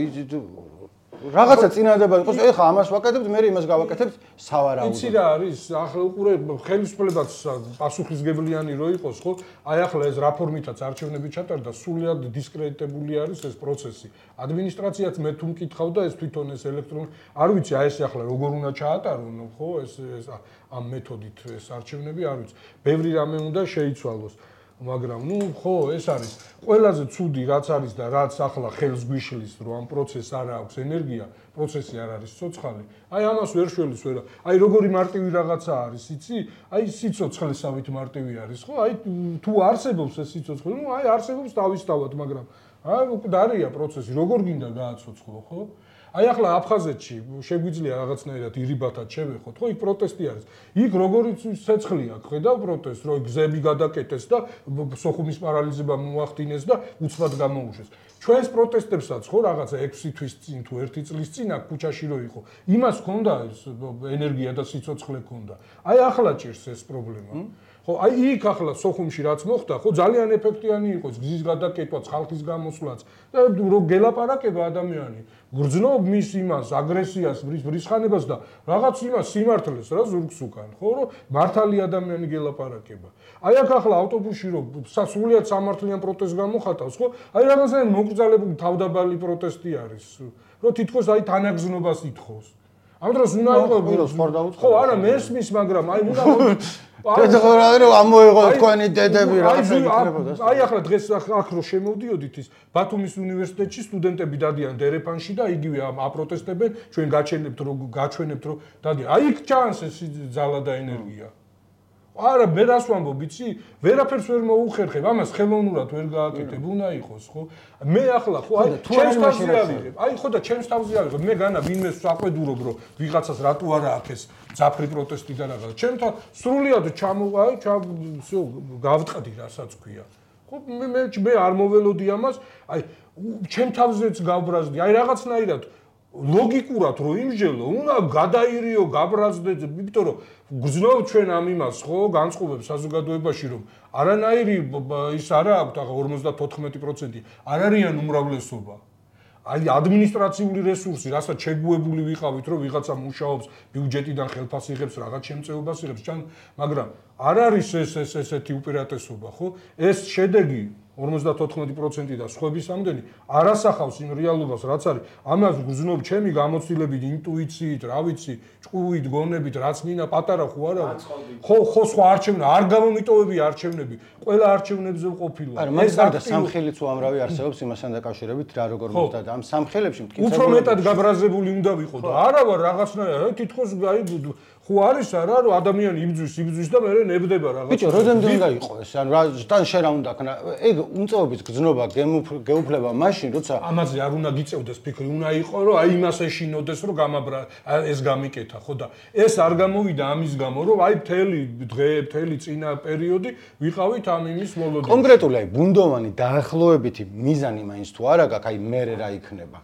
რაღაცა წინადადება იყოს, ეხა ამას ვაკეთებთ, მე იმას გავაკეთებთ, სავარაუდოდ. იცი რა არის, ახლა უყურე ხელისუფლებაც პასუხისგებლიანი რო იყოს, ხო? აი ახლა ეს რაფორმითაც არჩევნები ჩატარდა, სულიად დისკრედიტებული არის ეს პროცესი. ადმინისტრაციაც მე თუ მკითხავ და ეს თვითონ ეს ელექტრონული, არ ვიცი, აი ეს ახლა როგორ უნდა ჩაატარონ, ხო? ეს ამ მეთოდით ეს არჩევნები არ ვიცი. ბევრი რამე უნდა შეიცვალოს. მაგრამ ნუ ხო ეს არის ყველაზე ცუდი რაც არის და რაც ახლა ხელს გვიშლის რომ ამ პროცესს არ აქვს ენერგია, პროცესი არ არის ცოცხალი. აი ამას ვერ შველის ვერა. აი როგორი მარტივი რაღაცა არის, იცი? აი სიცოცხლესავით მარტივი არის, ხო? აი თუ არსებობს ეს სიცოცხლე, ნუ აი არსებობს დავისთავად, მაგრამ აი დარია პროცესი, როგორ გინდა გააცოცხლო, ხო? აი ახლა აფხაზეთში შეგვიძლია რაღაცნაირად ირიბათად შევეხოთ, ხო, იქ პროტესტი არის. იქ როგორიც ცეცხლი აქვს, ხედავ პროტესტს, რომ გზები გადაკეტეს და სოხუმის პარალიზება მოახდინეს და უცბად გამოუშვეს. ჩვენს პროტესტებსაც ხო რაღაცა 6 თვის წინ თუ 1 წლის წინ აქ ქუჩაში რო იყო. იმას ჰქონდა ენერგია და სიცოცხლე ჰქონდა. აი ახლა ჭირს ეს პრობლემა. ხო, აი იქ ახლა სოხუმში რაც მოხდა, ხო, ძალიან ეფექტიანი იყო გზის გადაკეთვაც, ხალხის გამოსვლაც და რო გელაპარაკება ადამიანი, გრძნობ მის იმას, აგრესიას, ბრისხანებას და რაღაც იმას სიმართლეს რა ზურგს უკან, ხო, რომ მართალი ადამიანი გელაპარაკება. აი აქ ახლა ავტობუსში რო სრულიად სამართლიან პროტესტს გამოხატავს, ხო? აი რაღაცა მოკრძალებული თავდაბალი პროტესტი არის, რომ თითქოს აი თანაგზნობას ითხოვს. ამ დროს უნდა იყოს ხო, არა მესმის, მაგრამ აი უნდა დედაყორავი რომ ამოიღო თქვენი დედები რაღაცა იქნებოდა. აი ახლა დღეს აქ რო შემოვდიოდით ის ბათუმის უნივერსიტეტში სტუდენტები დადიან დერეფანში და იგივე აპროტესტებენ, ჩვენ გაჩვენებთ რომ დადიან. აი იქ ჩანს ეს ძალა და ენერგია. არა, მე რას ვამბობ, იცი? ვერაფერს ვერ მოუხერხებ, ამას ხელოვნურად ვერ გააკეთებ, უნდა იყოს, ხო? მე ახლა ხო, აი, ჩემს თავზე ავიღებ. აი, ხო და ჩემს თავზე ავიღებ. მე განა ვინმეს საყვედურობ, რომ ვიღაცას რატო არა აქვს ეს ძაფრი პროტესტი და რაღაცა. ჩემთან სრულიად გავტყდი, რასაც ქვია. ხო, მე არ მოველოდი ამას, აი, ჩემ თავზეც გავბრაზდი. აი, რაღაცნაირად ლოგიკურად რო იმჟელო, უნდა გადაირიო, გაბრაზდეთ, იმიტომ რომ გრძნობ ჩვენ ამ იმას, ხო, განწყობებს საზოგადოებაში, რომ არანაირი ის არა აქვს, ახლა 54% არ არიან უმრავლესობა. აი ადმინისტრაციული რესურსი, რასაც შეგუებული ვიყავით, რომ ვიღაცა მუშაობს, ბიუჯეტიდან ხელფასს იღებს, რაღაც შემწეობას იღებს, მაგრამ არ არის ესეთი უპირატესობა, ხო? ეს შედეგი 54% და სხვების ამდენი არ ასახავს იმ რეალობას, რაც არის. ამას გრძნობ ჩემი გამოცდილებით, ინტუიციით, რა ვიცი, ჭკუით, გონებით, რაც მინდა პატარა ხო არა? ხო, სხვა არჩევნები, არ გამომიტოვები არჩევნები, ყველა არჩევნებზე ყოფილა. ეს და სამხელიც უამრავი არსებობს იმასთან დაკავშირებით, რა როგორ მოხდა და ამ სამხელებში მტკიცებული უფრო მეტად გაბრაზებული უნდა ვიყო და არა ვარ რაღაცნაირად, თითქოს აი ხო არის არა რომ ადამიანი იბძვის და მე ნებდება რაღაც. ბიჭო, როდემდე უნდა იყო ეს? ანუ თან შენ რა უნდა ქნა? ეგ უმწეობის გზნობა, გეუფლება მაშინ, როცა ამაზე არ უნდა გიწევდეს ფიქრი, უნდა იყო რომ აი იმას ეშინოდეს, რომ ეს გამიკეთა, ხო და ეს არ გამოვიდა ამის გამო, რომ აი მთელი დღე, მთელი წინა პერიოდი ვიყავით ამ იმის მოლოდინში. კონკრეტული აი ბუნდოვანი დაახლოებითი მიზანი მაინც თუ არა გაქვს, აი მე რა იქნება.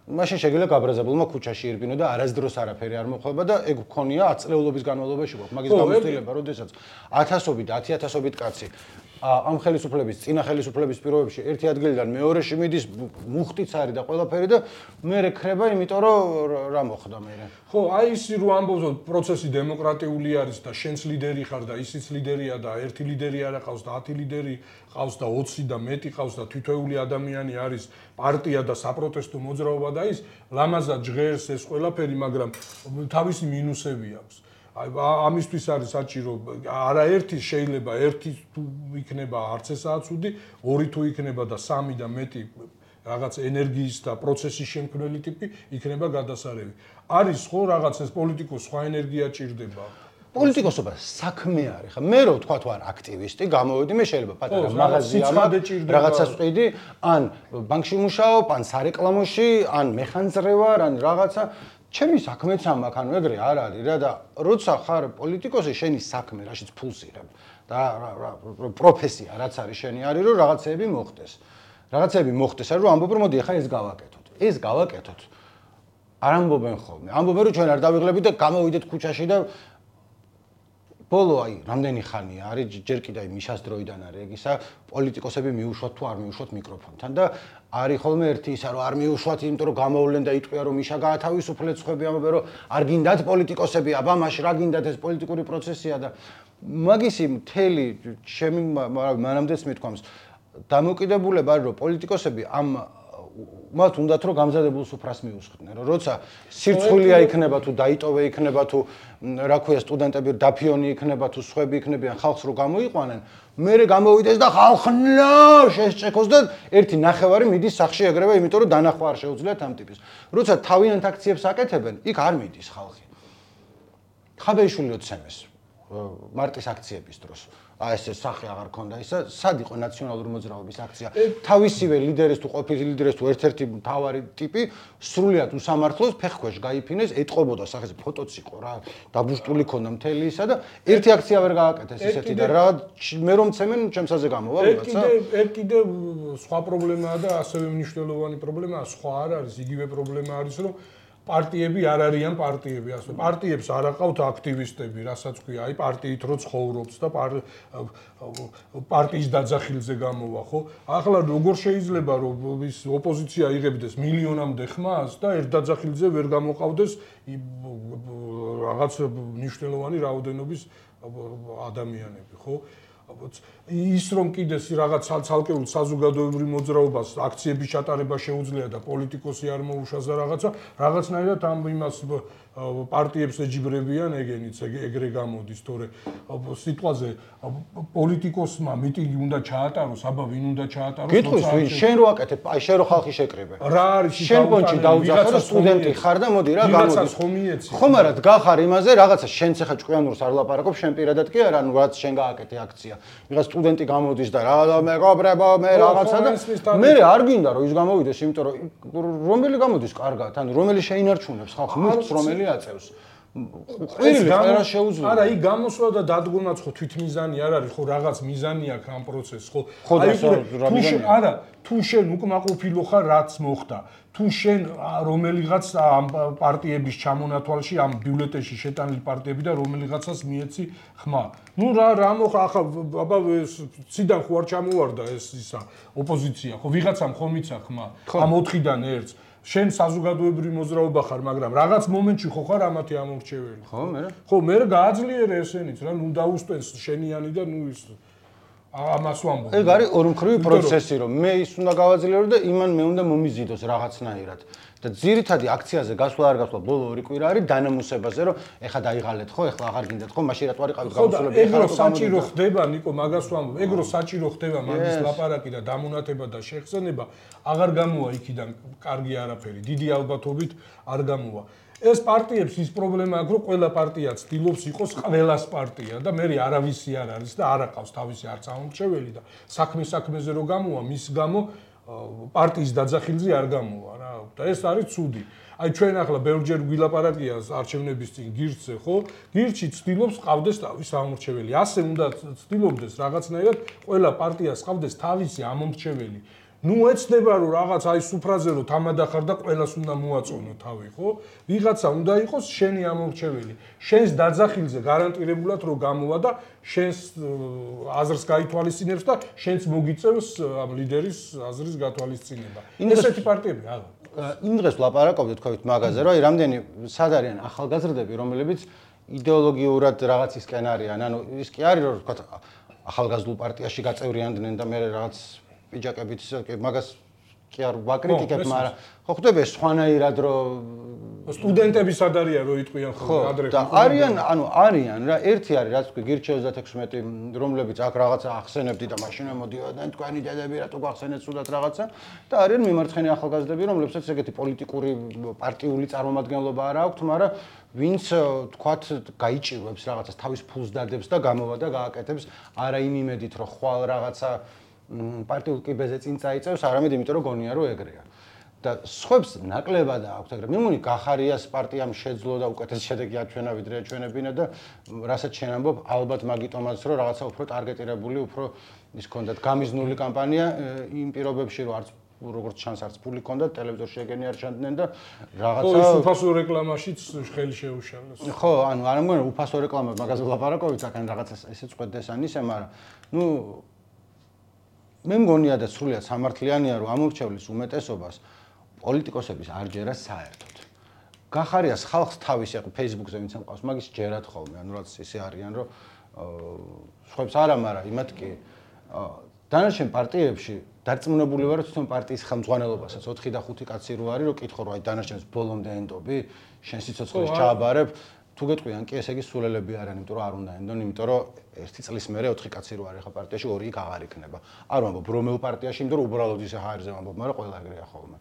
მაშინ შეგიძლია გაბრაზებულმა ქუჩაში ირბინო და არასდროს არაფერი არ მოხდება და ეგ გქონია 10 წლეულობის განმავლობაში გვაქვს. მაგის გამოცდილება, როდესაც 1000-ობით, 10000-ობით კაცი ამ ხელისუფლების, წინა ხელისუფლების პირობებში ერთი ადგილიდან მეორეში მიდის, მუხტიც არის და ყველაფერი და მე რეკრება, იმიტომ რომ რა მოხდა მე. ხო, აი ისი რო ამბობ, პროცესი დემოკრატიული არის და შენც ლიდერი ხარ და ისიც ლიდერია და ერთი ლიდერი არა ყავს და 10 ლიდერი ყავს და 20 და მეტი ყავს და თითოეული ადამიანი არის პარტია და საპროტესტო მოძრაობა და ის ლამაზად ჟღერს ეს ყველაფერი, მაგრამ თავისი მინუსები აქვს. აი ამისთვის არის საჭირო არაერთი შეიძლება ერთი თუ იქნება არც ესაა ცუდი, ორი თუ იქნება და სამი და მეტი რაღაც ენერგიის და პროცესის შემქმნელი ტიპი იქნება გადასარევი. არის ხო რაღაც ეს პოლიტიკოს სხვა ენერგია ჭირდება. პოლიტიკოსობა საქმე არის ხა. მე რო თქვა თუ არ აქტივისტი, გამოვედი, მე შეიძლება პატარა მაღაზია რაღაცას ვყიდი, ან ბანკში მუშაობ, ან სარეკლამოში, ან მეხანძრე ვარ, ან რაღაცა ჩემი საქმეც ამაკ, ანუ ეგრე არ არის რა და როცა ხარ პოლიტიკოსი, შენი საქმე, რაშიც ფულს იღებ და პროფესია რაც არის შენი არის, რომ რაღაცეები მოხდეს. რაღაცეები მოხდეს, რომ ამბობ რომ მოდი ახლა ეს გავაკეთოთ. ეს გავაკეთოთ. არ ამბობენ ხოლმე. ამბობენ რომ ჩვენ არ დავიღლებით და გამოვიდეთ ქუჩაში და ბოლო აი რამდენი ხანია არის ჯერ კიდე აი მიშას დროიდან არის ეგ ისა პოლიტიკოსები მიუშვათ თუ არ მიუშვათ მიკროფონთან და არის ხოლმე ერთი ისა რომ არ მიუშვათ იმიტომ რომ გამოვლენ და იტყვია რომ მიშა გაათავისუფლეთ ხვები ამბობენ რომ არ გინდათ პოლიტიკოსები აბა მაშ რა გინდათ ეს პოლიტიკური პროცესია და მაგისი მთელი ჩემი მანამდეც მithქვამს დამოკიდებულება არის რომ პოლიტიკოსები ამ მათ უნდათ რომ გამზადებულ სუფრას მიუსხდნენ რომ როცა სირცხვილია იქნება თუ დაიტოვე იქნება თუ რა ქვია სტუდენტები დაფიონი იქნება თუ სხვები იქნებიან ხალხს რო გამოიყვანენ მერე გამოვიდეს და ხალხნა შესჭექოს და ერთი ნახევარი მიდის სახში ეგრევე იმიტომ რომ დანახვა არ შეუძლიათ ამ ტიპის როცა თავიანთ აქციებს აკეთებენ იქ არ მიდის ხალხი ხაბეიშვილი როცემეს მარტის აქციების დროს ეს სახე აღარ ქონდა ისა, სად იყო ნაციონალური მოძრაობის აქცია? თავისივე ლიდერის თუ ყოფილი ლიდერის თუ ერთ-ერთი მთავარი ტიპი სრულიად უსამართლოს ფეხქვეშ გაიფინეს, ეტყობოდა სახეზე ფოტოც იყო რა, დაბუშტული ქონდა მთელი ისა და ერთი აქცია ვერ გააკეთეს ისეთი და რა მე რომ ცემენ ჩემსაზე გამოვა ვიღაცა. ერთ კიდე სხვა პრობლემაა და ასევე მნიშვნელოვანი პრობლემაა, სხვა არ არის, იგივე პრობლემა არის, რომ პარტიები არ არიან პარტიები, ასე პარტიებს არ აყავთ აქტივისტები, რასაც ქვია, აი პარტიით რო ცხოვრობს და პარტიის დაძახილზე გამოვა, ხო? ახლა როგორ შეიძლება რომ ის ოპოზიცია იღებდეს მილიონამდე ხმას და ერთ დაძახილზე ვერ გამოყავდეს რაღაც მნიშვნელოვანი რაოდენობის ადამიანები, ხო? ის რომ კიდეს რაღაც ცალკეულ საზოგადოებრივ მოძრაობას აქციების ჩატარება შეუძლია და პოლიტიკოსი არ მოუშვას და რაღაცნაირად ამ იმას პარტიებს ეჯიბრებიან ეგენიც ეგრე გამოდის, თორე სიტყვაზე პოლიტიკოსმა მიტინგი უნდა ჩაატაროს, აბა ვინ უნდა ჩაატაროს? გითხვის ვინ? შენ რო აკეთებ, აი შენ რო ხალხი შეკრიბე. რა არის შენ პონჩი დაუძახო და სტუდენტი ხარ და მოდი რა გამოდის. ხომ არა დგახარ იმაზე რაღაცა შენც ახლა ჭკვიანურს არ ლაპარაკობ, შენ პირადად კი არა, ანუ რაც შენ გააკეთე აქცია. ვიღაც სტუდენტი გამოდის და რა მეგობრებო მე რაღაცა და მე არ გინდა რომ ის გამოვიდეს, იმიტომ რომ რომელი გამოდის კარგად, ანუ რომელი შეინარჩუნებს ხალხს, მუხტს რომელი აწევს. ყვირილი ყველა შეუძლია. არა, იქ გამოსვლა და დადგომაც ხო თვითმიზანი არ არის, ხო რაღაც მიზანი აქვს ამ პროცესს, ხო? არა, თუ შენ უკმაყოფილო ხარ რაც მოხდა, თუ შენ რომელიღაც ამ პარტიების ჩამონათვალში, ამ ბიულეტენში შეტანილი პარტიები და რომელიღაცას მიეცი ხმა. ნუ რა მოხდა ახლა აბა ციდან ხო არ ჩამოვარდა ეს ისა ოპოზიცია, ხო ვიღაცამ ხომ მიცა ხმა ამ 4-დან ერთს. შენ საზოგადოებრივი მოძრაობა ხარ, მაგრამ რაღაც მომენტში ხო ხარ ამათი ამორჩეველი. ხო, მე. ხო, მე გააძლიერე ესენიც რა, ნუ დაუსტენს შენიანი და ნუ ის ამას ვამბობ. ეგ არის ორმხრივი პროცესი, რომ მე ის უნდა გავაძლიერო და იმან მე უნდა მომიზიდოს რაღაცნაირად. და ძირითადი აქციაზე გასვლა არ გასვლა ბოლო 2 კვირა არის დანამუსებაზე, რომ ეხა დაიღალეთ ხო, ეხლა აღარ გინდათ ხო, მაშინ რატო არ იყავით გამოსულები? ეგრო საჭირო ხდება, ნიკო, მაგას ვამბობ. ეგრო საჭირო ხდება მაგის ლაპარაკი და დამონათება და შეხსენება, აღარ გამოვა იქიდან კარგი არაფერი, დიდი ალბათობით არ გამოვა. ეს პარტიებს ის პრობლემა აქვს, რომ ყველა პარტია ცდილობს იყოს ყველას პარტია და მე არავისი არ არის და არ აყავს თავისი არც ამორჩეველი და საქმეზე რო გამოვა, მის გამო პარტიის დაძახილზე არ გამოვა რა და ეს არის ცუდი. აი ჩვენ ახლა ბევრჯერ გვილაპარაკია არჩევნების წინ გირჩზე, ხო? გირჩი ცდილობს ყავდეს თავის ამორჩეველი. ასე უნდა ცდილობდეს რაღაცნაირად ყველა პარტიას ყავდეს თავისი ამორჩეველი. ნუ ეცდება რომ რაღაც აი სუფრაზე რომ თამადახარ და ყველას უნდა მოაწონო თავი, ხო? ვიღაცა უნდა იყოს შენი ამორჩეველი. შენს დაძახილზე გარანტირებულად რომ გამოვა და შენს აზრს გაითვალისწინებს და შენს მოგიწევს ამ ლიდერის აზრის გათვალისწინება. ესეთი პარტიები არა. იმ დღეს ვლაპარაკობდით თქვით მაგაზე, რომ აი რამდენი სად არიან ახალგაზრდები, რომლებიც იდეოლოგიურად რაღაცისკენ არიან, ანუ ის კი არის რომ თქვა ახალგაზრდულ პარტიაში გაწევრიანდნენ და მე რაღაც პიჯაკებით მაგას კი არ ვაკრიტიკებ, მაგრამ ხო ხვდები სხვანაირად რომ სტუდენტები სად არიან რომ იტყვიან ხო ადრე და არიან, ანუ არიან რა, ერთი არის რაც თქვი გირჩ 36 რომლებიც აქ რაღაცა ახსენებდი და მაშინ მოდიოდნენ თქვენი დედები რატო გახსენეთ სულად რაღაცა და არიან მიმარცხენე ახალგაზრდები, რომლებსაც ეგეთი პოლიტიკური პარტიული წარმომადგენლობა არ აქვთ, მაგრამ ვინც თქვათ გაიჭირვებს რაღაცას თავის ფულს დადებს და გამოვა და გააკეთებს არა იმ იმედით რომ ხვალ რაღაცა პარტიულ კიბეზე წინ წაიწევს, არამედ იმიტომ რომ გონია რომ ეგრეა. და სხვებს ნაკლებად აქვს ეგრე. მე მგონი გახარიას პარტიამ შეძლო და უკეთეს შედეგი აჩვენა ვიდრე აჩვენებინა და რასაც შენ ამბობ, ალბათ მაგიტომაც რომ რაღაცა უფრო ტარგეტირებული, უფრო ის ქონდათ გამიზნული კამპანია იმ პირობებში რომ არც როგორც ჩანს არც ფული ქონდათ, ტელევიზორში ეგენი არ ჩანდნენ და რაღაცა ხო, ის უფასო რეკლამაშიც ხელი შეუშალეს. ხო, ანუ არ მგონია უფასო რეკლამა მაგაზე ვლაპარაკობთ, საკან რაღაცა ესეც ყვეთდეს ან ისე, მაგრამ ნუ მე მგონია და სრულიად სამართლიანია რომ ამორჩევლის უმეტესობას პოლიტიკოსების არ ჯერა საერთოდ. გახარიას ხალხს თავისი აყ Facebook-ზე ვინც ამყავს, მაგის ჯერათ ხოლმე, ანუ რაც ისე არიან რომ სხვებს არა, მაგრამ იმათ კი დანარჩენ პარტიებში დარწმუნებული ვარ, რომ თვითონ პარტიის ხელმძღვანელობასაც 4 და 5 კაცი რო არის, რომ კითხო რომ აი დანარჩენს ბოლომდე ენდობი, შენ სიცოცხლეს ჩააბარებ, თუ გეტყვიან კი ესე იგი სულელები არიან, იმიტომ რომ არ უნდა ენდონ, იმიტომ რომ 1 წლის მერე 4 კაცი რო არის ხა პარტიაში, 2 იქ აღარ იქნება. არ ვამბობ რომელ პარტიაში, იმიტომ რომ უბრალოდ ისე ჰაერზე ვამბობ, მაგრამ ყველა ეგრეა ხოლმე.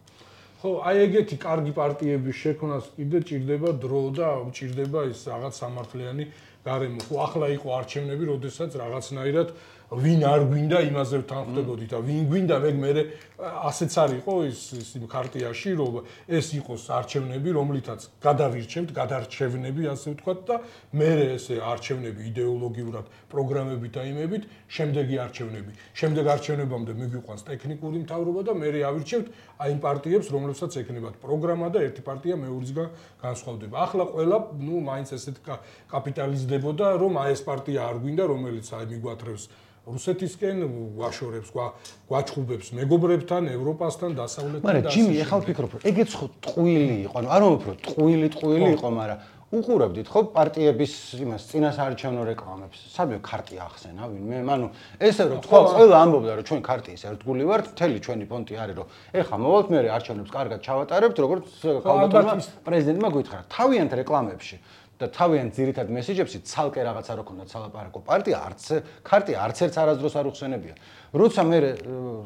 ხო, აი ეგეთი კარგი პარტიების შექმნას კიდე ჭირდება დრო და ჭირდება ის რაღაც სამართლიანი გარემო. ხო ახლა იყო არჩევნები, როდესაც რაღაცნაირად ვინ არ გვინდა იმაზე ვთანხმდებოდი და ვინ გვინდა მე ასეც არ იყო ის ქარტიაში რომ ეს იყოს არჩევნები რომლითაც გადავირჩევთ გადარჩევნები ასე ვთქვათ და მე ესე არჩევნები იდეოლოგიურად პროგრამებით და იმებით შემდეგი არჩევნებამდე მიგვიყვანს ტექნიკური მთავრობა და მე ავირჩევთ აი იმ პარტიებს რომლებსაც ექნებათ პროგრამა და ერთი პარტია მეორისგან განსხვავდება ახლა ყველა მაინც ესეთ კაპიტალიზდებოდა რომ აი ეს პარტია არ გვინდა რომელიც აი მიგვათრევს რუსეთისკენ ვაშორებს, გვაჩხუბებს მეგობრებთან, ევროპასთან, დასავლეთთან და მაგრამ ჯიმი, ეხლა ვფიქრობ, რომ ეგეც ხო ტყუილი იყო, ანუ არ მომფრო, ტყუილი იყო, მაგრამ უყურებდით ხო პარტიების იმას წინასაარჩევნო რეკლამებს. სადმე ქარტია ახსენა ვინმე? ანუ ესე რომ თქვა, ყველა ამბობდა რომ ჩვენ ქარტიის ერთგული ვართ, მთელი ჩვენი პონტი არის რომ ეხლა მოვალთ მე არჩევნებს კარგად ჩავატარებთ, როგორც ქალბატონმა პრეზიდენტმა გითხრა. თავიანთ რეკლამებში და თავიანთ ძირითად მესეჯებში ცალკე რაღაცა რო ქონდა ცალაპარაკო ქარტია არც ერთ არასდროს არ უხსენებია. როცა მე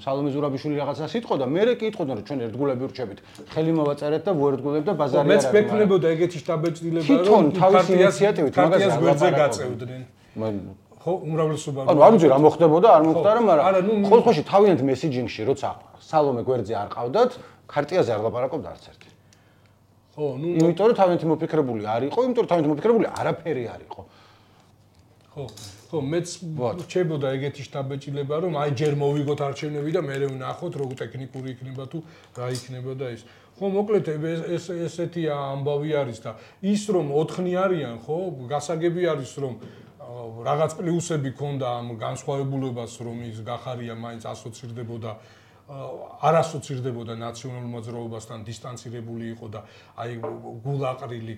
სალომე ზურაბიშვილი რაღაცას იტყოდა, მე კითხოდა რომ ჩვენ ერთგულები ვრჩებით, ხელი მოვაწერეთ და ვერდგულებ და ბაზარი არ არის. მეც ვექნებოდა ეგეთი შტაბეჭდილება რომ თავის ინიციატივით მაგას გვერდზე გაწევდნენ. ხო, უმრავლესობა. ანუ არ ვიცი რა მოხდებოდა, არ მოხდა მაგრამ ხოლმე თავიანთ მესეჯინგში როცა სალომე გვერდზე არ ყავდათ, ქარტიაზე არ ლაპარაკობდა არც ერთი. ხო, იმიტომ რომ თავიანთი მოფიქრებული არ იყო, იმიტომ რომ თავიანთი მოფიქრებული არაფერი არ იყო. ხო, მეც რჩებოდა ეგეთი შტაბეჭდილება, რომ აი ჯერ მოვიგოთ არჩევნები და მე ვნახოთ, როგორ ტექნიკური იქნება თუ რა იქნება და ის. ხო, მოკლედ ესეთი ამბავი არის და ის რომ 4-ნი არიან, ხო, გასაგები არის რომ რაღაც პლუსები ქონდა ამ განსხვავებულებას, რომ ის გახარია მაინც ასოცირდებოდა არ ასოცირდებოდა ნაციონალურ მოძრაობასთან დისტანცირებული იყო და აი გულაყრილი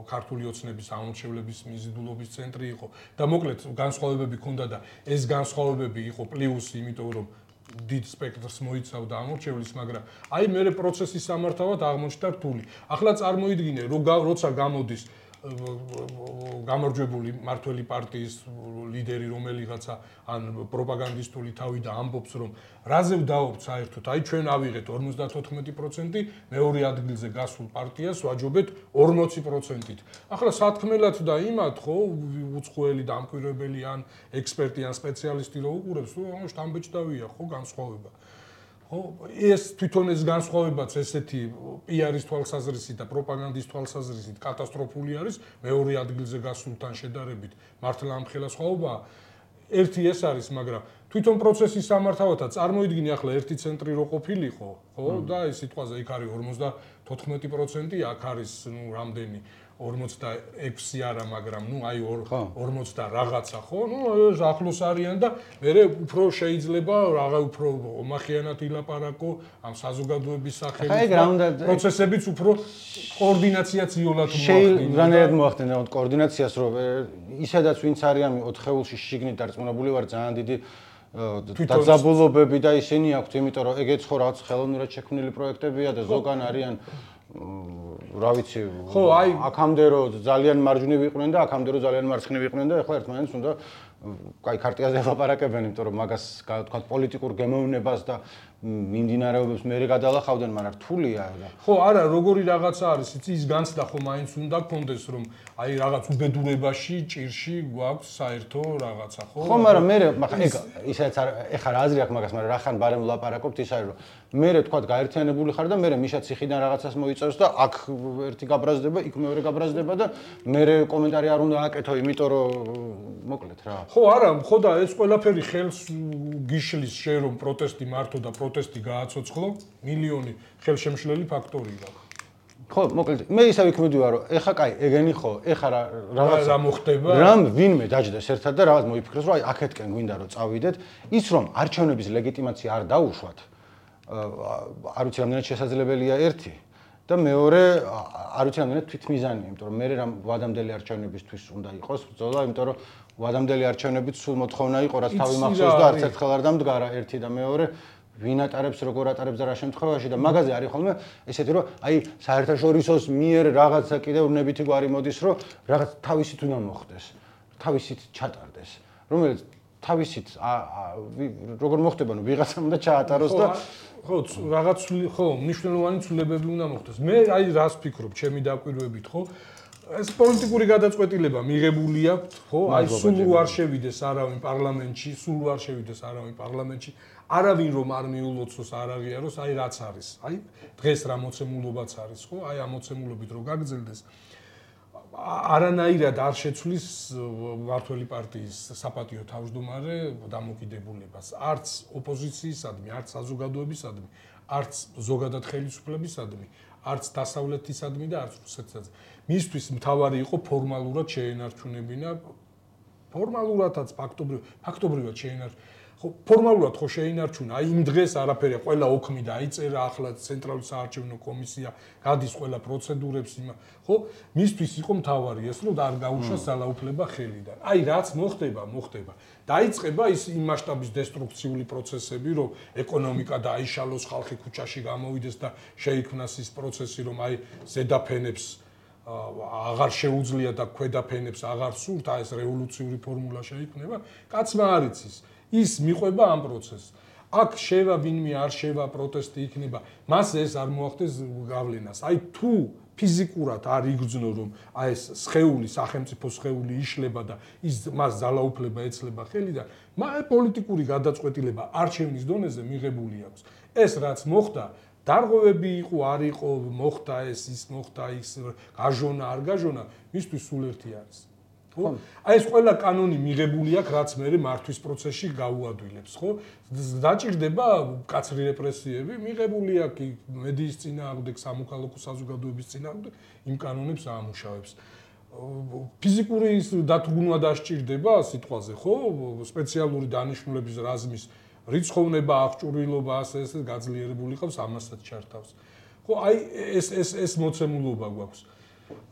ქართული ოცნების ამორჩევლების მიზიდულობის ცენტრი იყო და მოკლედ განსხვავებები ქონდა და ეს განსხვავებები იყო პლუსი, იმიტომ რომ დიდ სპექტრს მოიცავდა ამორჩევლის, მაგრამ აი მე პროცესის სამართავად აღმოჩნდა რთული. ახლა წარმოიდგინე, როცა გამოდის გამარჯვებული მართველი პარტიის ლიდერი რომელიღაცა ან პროპაგანდისტული თავი და ამბობს რომ რაზე ვდაობთ საერთოდ აი ჩვენ ავიღეთ 54%, მეორე ადგილზე გასულ პარტიას ვაჯობეთ 40%-ით. ახლა სათქმელად და იმათ ხო უცხოელი დამკვირვებელი ან ექსპერტი ან სპეციალისტი რო უყურებს, რომ შტამბეჭდავია ხო განსხვავება. ხო, ეს თვითონ ეს განსხვავებაც ესეთი პიარის თვალსაზრისით და პროპაგანდის თვალსაზრისით კატასტროფული არის, მეორე ადგილზე გასულთან შედარებით მართლა ამხელა სხვაობაა. ერთი ეს არის, მაგრამ თვითონ პროცესის სამართავადაც წარმოიდგინე ახლა ერთი ცენტრი რო ყოფილიყო, ხო, და ეს სიტყვაზე იქ არის 54%, აქ არის რამდენი 46 არა, მაგრამ აი 40 და რაღაცა, ხო? ეს ახლოს არიან და მე უფრო შეიძლება რაღა უფრო ომახიანად ილაპარაკო ამ საზოგადოების სახელით. პროცესებიც უფრო კოორდინაციაც იოლად მოახდინა. რანაირად მოახდინა კოორდინაციას, რომ ისედაც ვინც არიან 4 ხეულში შიგნით დარწმუნებული ვარ ძალიან დიდი დაძაბულობები და ისინი აქვთ, იმიტომ რომ ეგეც ხო რაღაც ხელოვნურად შექმნილი პროექტებია და ზოგან არიან რა ვიცი, ხო, აი აქამდე რო ძალიან მარჯვნივ იყვნენ და აქამდე რო ძალიან მარცხნივ იყვნენ და ახლა ერთმანეთს უნდა კაი ქარტიაზე ლაპარაკებენ, იმიტომ რომ მაგას თქვა პოლიტიკურ გემოვნებას და მიმდინარეობებს მე გადალახავდნენ, მაგრამ რთულია და ხო, არა, როგორი რაღაცა არის, ის განცდა ხო მაინც უნდა გქონდეს, რომ აი რაღაც უბედურებაში, ჭირში გვაქვს საერთო რაღაცა, ხო? ხო, მაგრამ მე ეგ ისაც ეხლა რა აზრი აქვს მაგას, მაგრამ რახან ბარემ ლაპარაკობთ ის არის, რომ მე თქვა გაერთიანებული ხარ და მე მიშა ციხიდან რაღაცას მოიწერს და აქ ერთი გაბრაზდება, იქ მეორე გაბრაზდება და მე კომენტარი არ უნდა აკეთო, იმიტომ რომ მოკლედ რა. ხო, არა, ხო და ეს ყველაფერი ხელს გიშლის შე რომ პროტესტი მართო და პროტესტი გააცოცხლო, მილიონი ხელშემშლელი ფაქტორია. ხო, მოკლედ, მე ისევ იქ მივდივარ, რომ ეხა კაი, ეგენი ხო, ეხა რა მოხდება? რამ ვინმე დაჯდეს ერთად და რაღაც მოიფიქრეს, რომ აი აქეთკენ გვინდა რომ წავიდეთ, ის რომ არჩევნების ლეგიტიმაცია არ დაუშვათ, არ ვიცი რამდენად შესაძლებელია ერთი და მეორე არ ვიცი რამდენად თვითმიზანია, იმიტომ რომ მე რამ ვადამდელი არჩევნებისთვის უნდა იყოს ბრძოლა, იმიტომ რომ ვადამდელი არჩევნებით სულ მოთხოვნა იყო, რაც თავი მახსოვს და არც ერთხელ არ დამდგარა ერთი და მეორე ვინ ატარებს, როგორ ატარებს და რა შემთხვევაში და მაგაზე არის ხოლმე ესეთი რომ აი საერთაშორისოს მიერ რაღაცა კიდევ ვნებითი გვარი მოდის, რომ რაღაც თავისით უნდა მოხდეს, თავისით ჩატარდეს, რომელიც თავისით როგორ მოხდება, ნუ ვიღაცამ უნდა ჩაატაროს და ხო, რაღაც ხო, მნიშვნელოვანი ცვლილებები უნდა მოხდეს. მე აი რას ფიქრობ, ჩემი დაკვირვებით, ხო? ეს პოლიტიკური გადაწყვეტილება მიღებული აქვს, ხო? აი სულ არ შევიდეს არავინ პარლამენტში, არავინ რომ არ მიულოცოს, არ აღიაროს, აი რაც არის. აი დღეს რა მოცემულობაც არის, ხო? აი ამ მოცემულობით რო გაგრძელდეს არანაირად არ შეცვლის მართველი პარტიის საპატიო თავმჯდომარე დამოკიდებულებას, არც ოპოზიციისადმი, არც საზოგადოებისადმი, არც ზოგადად ხელისუფლებისადმი, არც დასავლეთისადმი და არც რუსეთისადმი. მისთვის მთავარი იყო ფორმალურად შეენარჩუნებინა, ფორმალურადაც ფაქტობრივად შეენარჩუნა. ხო, ფორმალურად ხო შეინარჩუნა, აი იმ დღეს არაფერი, ყველა ოქმი დაიწერა, ახლა ცენტრალური საარჩევნო კომისია გადის ყველა პროცედურებს იმა, ხო? მისთვის იყო მთავარი ეს, რომ არ გაუშვა ძალაუფლება ხელიდან. აი რაც მოხდება. დაიწყება ის იმ მასშტაბის დესტრუქციული პროცესები, რომ ეკონომიკა დაიშალოს, ხალხი ქუჩაში გამოვიდეს და შეიქმნას ის პროცესი, რომ აი ზედაფენებს აღარ შეუძლია და ქვედაფენებს აღარ სურთ, აი ეს რევოლუციური ფორმულა შეიქმნება, კაცმა არ იცის. ის მიყვება ამ პროცესს. აქ შევა ვინმე არ შევა პროტესტი იქნება, მას ეს არ მოახდენს გავლენას. აი თუ ფიზიკურად არ იგრძნო რომ აი ეს სხეული, სახელმწიფო სხეული იშლება და ის მას ძალაუფლება ეცლება ხელიდან, მაგრამ პოლიტიკური გადაწყვეტილება არჩევნის დონეზე მიღებული აქვს. ეს რაც მოხდა, დარღვევები იყო, არ იყო, მოხდა ეს, ის მოხდა ის, გაჟონა, არ გაჟონა, მისთვის სულ ერთი არის. აი ეს ყველა კანონი მიღებული აქვს, რაც მე მართვის პროცესში გაუადვილებს, ხო? დაჭირდება კაცრი რეპრესიები, მიღებული აქვს მედიის წინააღმდეგ, სამოქალაქო საზოგადოების წინააღმდეგ, იმ კანონებს აამუშავებს. ფიზიკური დათრგუნვა დასჭირდება სიტყვაზე, ხო? სპეციალური დანიშნულების რაზმის რიცხოვნება, აღჭურვილობა, ასე გაძლიერებული ყავს, ამასაც ჩართავს. ხო, აი ეს მოცემულობა გვაქვს.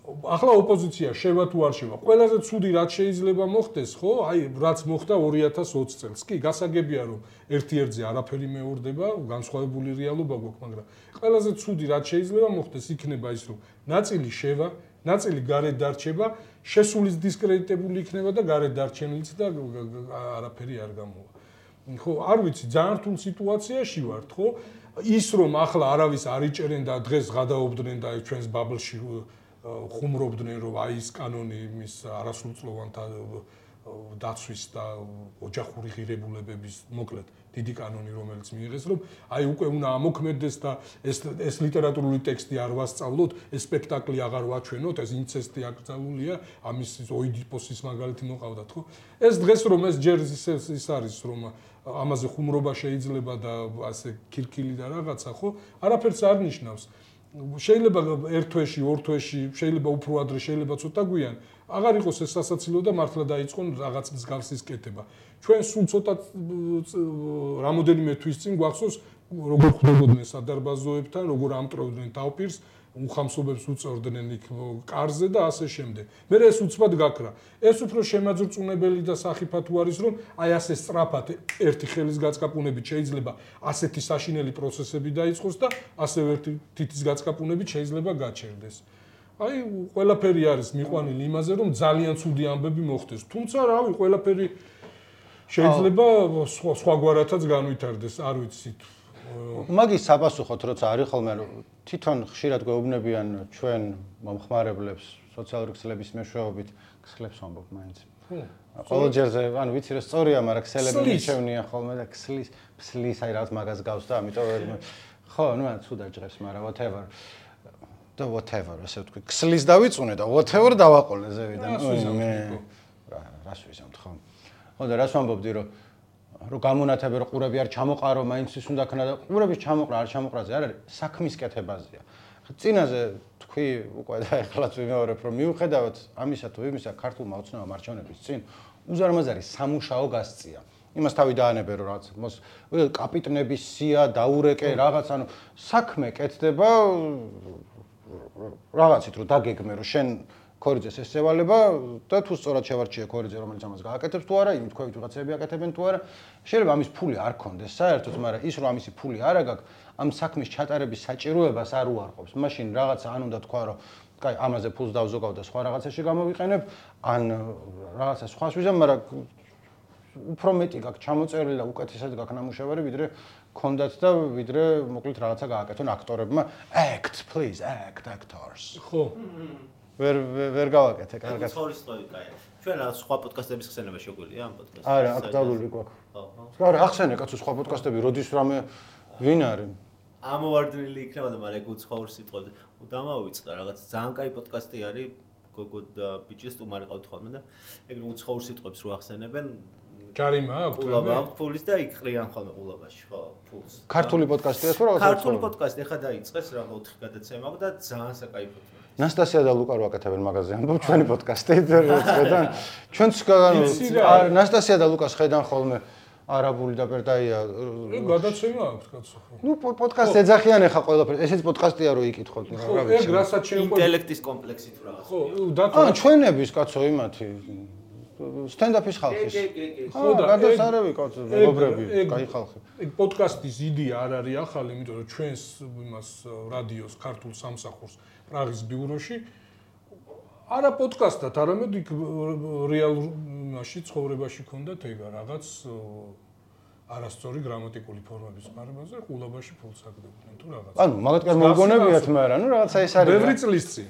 ახლა ოპოზიცია შევა თუ არ შევა, ყველაზე ცუდი რაც შეიძლება მოხდეს, ხო? აი რაც მოხდა 2020 წელს. კი, გასაგებია რომ ერთ-ერთზე არაფერი მეორდება, განსხვავებული რეალობა გვაქვს, მაგრამ ყველაზე ცუდი რაც შეიძლება მოხდეს, იქნება ის რომ ნაწილი შევა, ნაწილი გარეთ დარჩება, შესulis დისკრედიტებული იქნება და გარეთ დარჩენილიც და არაფერი არ გამოვა. ხო, არ ვიცი, ძალიან რთულ სიტუაციაში ვართ, ხო? ის რომ ახლა არავის არ იჭერენ და დღეს გადაობდნენ და ჩვენს ბაბლში ხუმრობდნენ რომ აი ეს კანონი მის არასრულწლოვანთა დაცვის და ოჯახური ღირებულებების მოკლედ დიდი კანონი რომელიც მიიღეს რომ აი უკვე უნდა ამოქმედდეს და ეს ლიტერატურული ტექსტი არ ვასწავლოთ, ეს სპექტაკლი აღარ ვაჩვენოთ, ეს ინცესტი აკრძალულია, ამის ოიდიპოსის მაგალითი მოყავდათ, ხო? ეს დღეს რომ ეს ჯერ ის არის რომ ამაზე ხუმრობა შეიძლება და ასე ქირქილი და რაღაცა, ხო? არაფერს არ ნიშნავს. შეიძლება ერთ თვეში, ორ თვეში, შეიძლება უფრო ადრე, შეიძლება ცოტა გვიან, აღარ იყოს ეს სასაცილო და მართლა დაიწყონ რაღაც მსგავსის კეთება. ჩვენ სულ ცოტა რამოდენიმე თვის წინ გვახსოვს, როგორ ხდებოდნენ სადარბაზოებთან, როგორ ამტვრევდნენ თავპირს, უხამსობებს უწევდნენ იქ კარზე და ასე შემდეგ. მე ეს უცბად გაქრა. ეს უფრო შემაძრწუნებელი და სახიფათო არის, რომ აი ასე სწრაფად ერთი ხელის გაწკაპუნებით შეიძლება ასეთი საშინელი პროცესები დაიწყოს და ასევე ერთი თითის გაწკაპუნებით შეიძლება გაჩერდეს. აი ყველაფერი არის მიყვანილი იმაზე, რომ ძალიან ცუდი ამბები მოხდეს. თუმცა რავი, ყველაფერი შეიძლება სხვაგვარათაც განვითარდეს, არ ვიცით. მაგის საპასუხოდ როცა არის ხოლმე თვითონ ხშირად გვეუბნებიან ჩვენ მომხმარებლებს სოციალური ქსელების მეშვეობით ქსელებს ვამბობ მაინც. ყოველ ჯერზე, ანუ ვიცი რომ სწორია, მაგრამ ქსელები მიჩევნიან ხოლმე და ქსლის აი რაღაც მაგას გავს და ამიტომ ხო, ну ცუდად ჟღერს, მაგრამ whatever. და whatever, ასე ვთქვი, ქსლის დავიწუნე და whatever დავაყოლე ზევიდან. რას ვიზამთ ხო? ხო და რას ვამბობდი რომ გამონათები რომ ყურები არ ჩამოყარო, მაინც ის უნდა ქნა და ყურების ჩამოყრა არ ჩამოყრაზე არ არის, საქმის კეთებაზეა. წინაზე თქვი უკვე და ეხლაც ვიმეორებ რომ მიუხედავად ამისა თუ იმისა ქართულმა ოცნებამ არჩევნების წინ უზარმაზარი სამუშაო გასწია. იმას თავი დაანებე რომ რაღაც კაპიტნების სია დაურეკე რაღაც, ანუ საქმე კეთდება რაღაცით რომ დაგეგმე რომ შენ ქორიძეს ესევალება და თუ სწორად შევარჩიე ქორიძე რომელიც ამას გააკეთებს თუ არა, იმ თქვენ ვიღაცები აკეთებენ თუ არა, შეიძლება ამის ფული არ ქონდეს საერთოდ, მაგრამ ის რომ ამისი ფული არ აგაქვს, ამ საქმის ჩატარების საჭიროებას არ უარყოფს. მაშინ რაღაცა ან უნდა თქვა რომ კაი, ამაზე ფულს დავზოგავ და სხვა რაღაცაში გამოვიყენებ, ან რაღაცა სხვას ვიზამ, მაგრამ უფრო მეტი გაქვს ჩამოწერილი და უკეთესად გაქვს ნამუშევარი, ვიდრე ქონდათ და ვიდრე მოკლედ რაღაცა გააკეთონ აქტორებმა. Act, please, act, actors. ხო. ვერ გავაკეთე კარგად. ცხოვრის სწორი კაი. ჩვენ სხვა პოდკასტების ხსენება შეგვიძლია ამ პოდკასტს. არა, აქტუალური გვაქვს. ხო. არა, ახსენე კაცო სხვა პოდკასტები, როდის რამე ვინ არის? ამოვარდნილი იქნება და მაგრამ ეგ უცხოურ სიტყვებზე. დამავიწყდა რაღაც ძალიან კაი პოდკასტი არის გოგო და ბიჭის თუმარი ყავთ ხოლმე და ეგ უცხოურ სიტყვებს რო ახსენებენ ჯარიმა აქვს ყულაბა აქვს ფულის და იყრიან ხოლმე ყულაბაში ხო ფულს. ქართული პოდკასტია თუ რაღაც? ქართული პოდკასტი ახლა დაიწყეს რა 4 გადაცემა აქვს და ძალიან საკაიფოა. ნასტასია და ლუკა რო აკეთებენ მაღაზია. ამბობ ჩვენი პოდკასტი ხედან. ჩვენც ნასტასია და ლუკას ხედან ხოლმე არაბული და პერტაია. გადაცემა აქვს კაცო. ნუ პოდკასტი ეძახიან ახლა ყველაფერს. ესეც პოდკასტია რო ikითხოთ რა ვიცი. ეგ რასაც შეუყვება ინტელექტის კომპლექსით რაღაც. ხო, დათო ჩვენების კაცო იმათი სტენდაპის ხალხის. ხო და გადასარევი კაცო, მეგობრები, კაი ხალხი. ეგ პოდკასტის იდეა არ არის ახალი, იმიტომ რომ ჩვენს იმას რადიოს ქართულ სამსახურს პრაღის ბიუროში არა პოდკასტად, არამედ იქ რეალურ იმაში ცხოვრებაში ქონდათ ეგა რაღაც არასწორი გრამატიკული ფორმების ხმარებაზე ყულაბაში ფულს აგდებდნენ თუ რაღაც. ანუ მაგათკარ მოგონებიათ, მაგრამ ნუ რაღაცა ეს არის. ბევრი წლის წინ.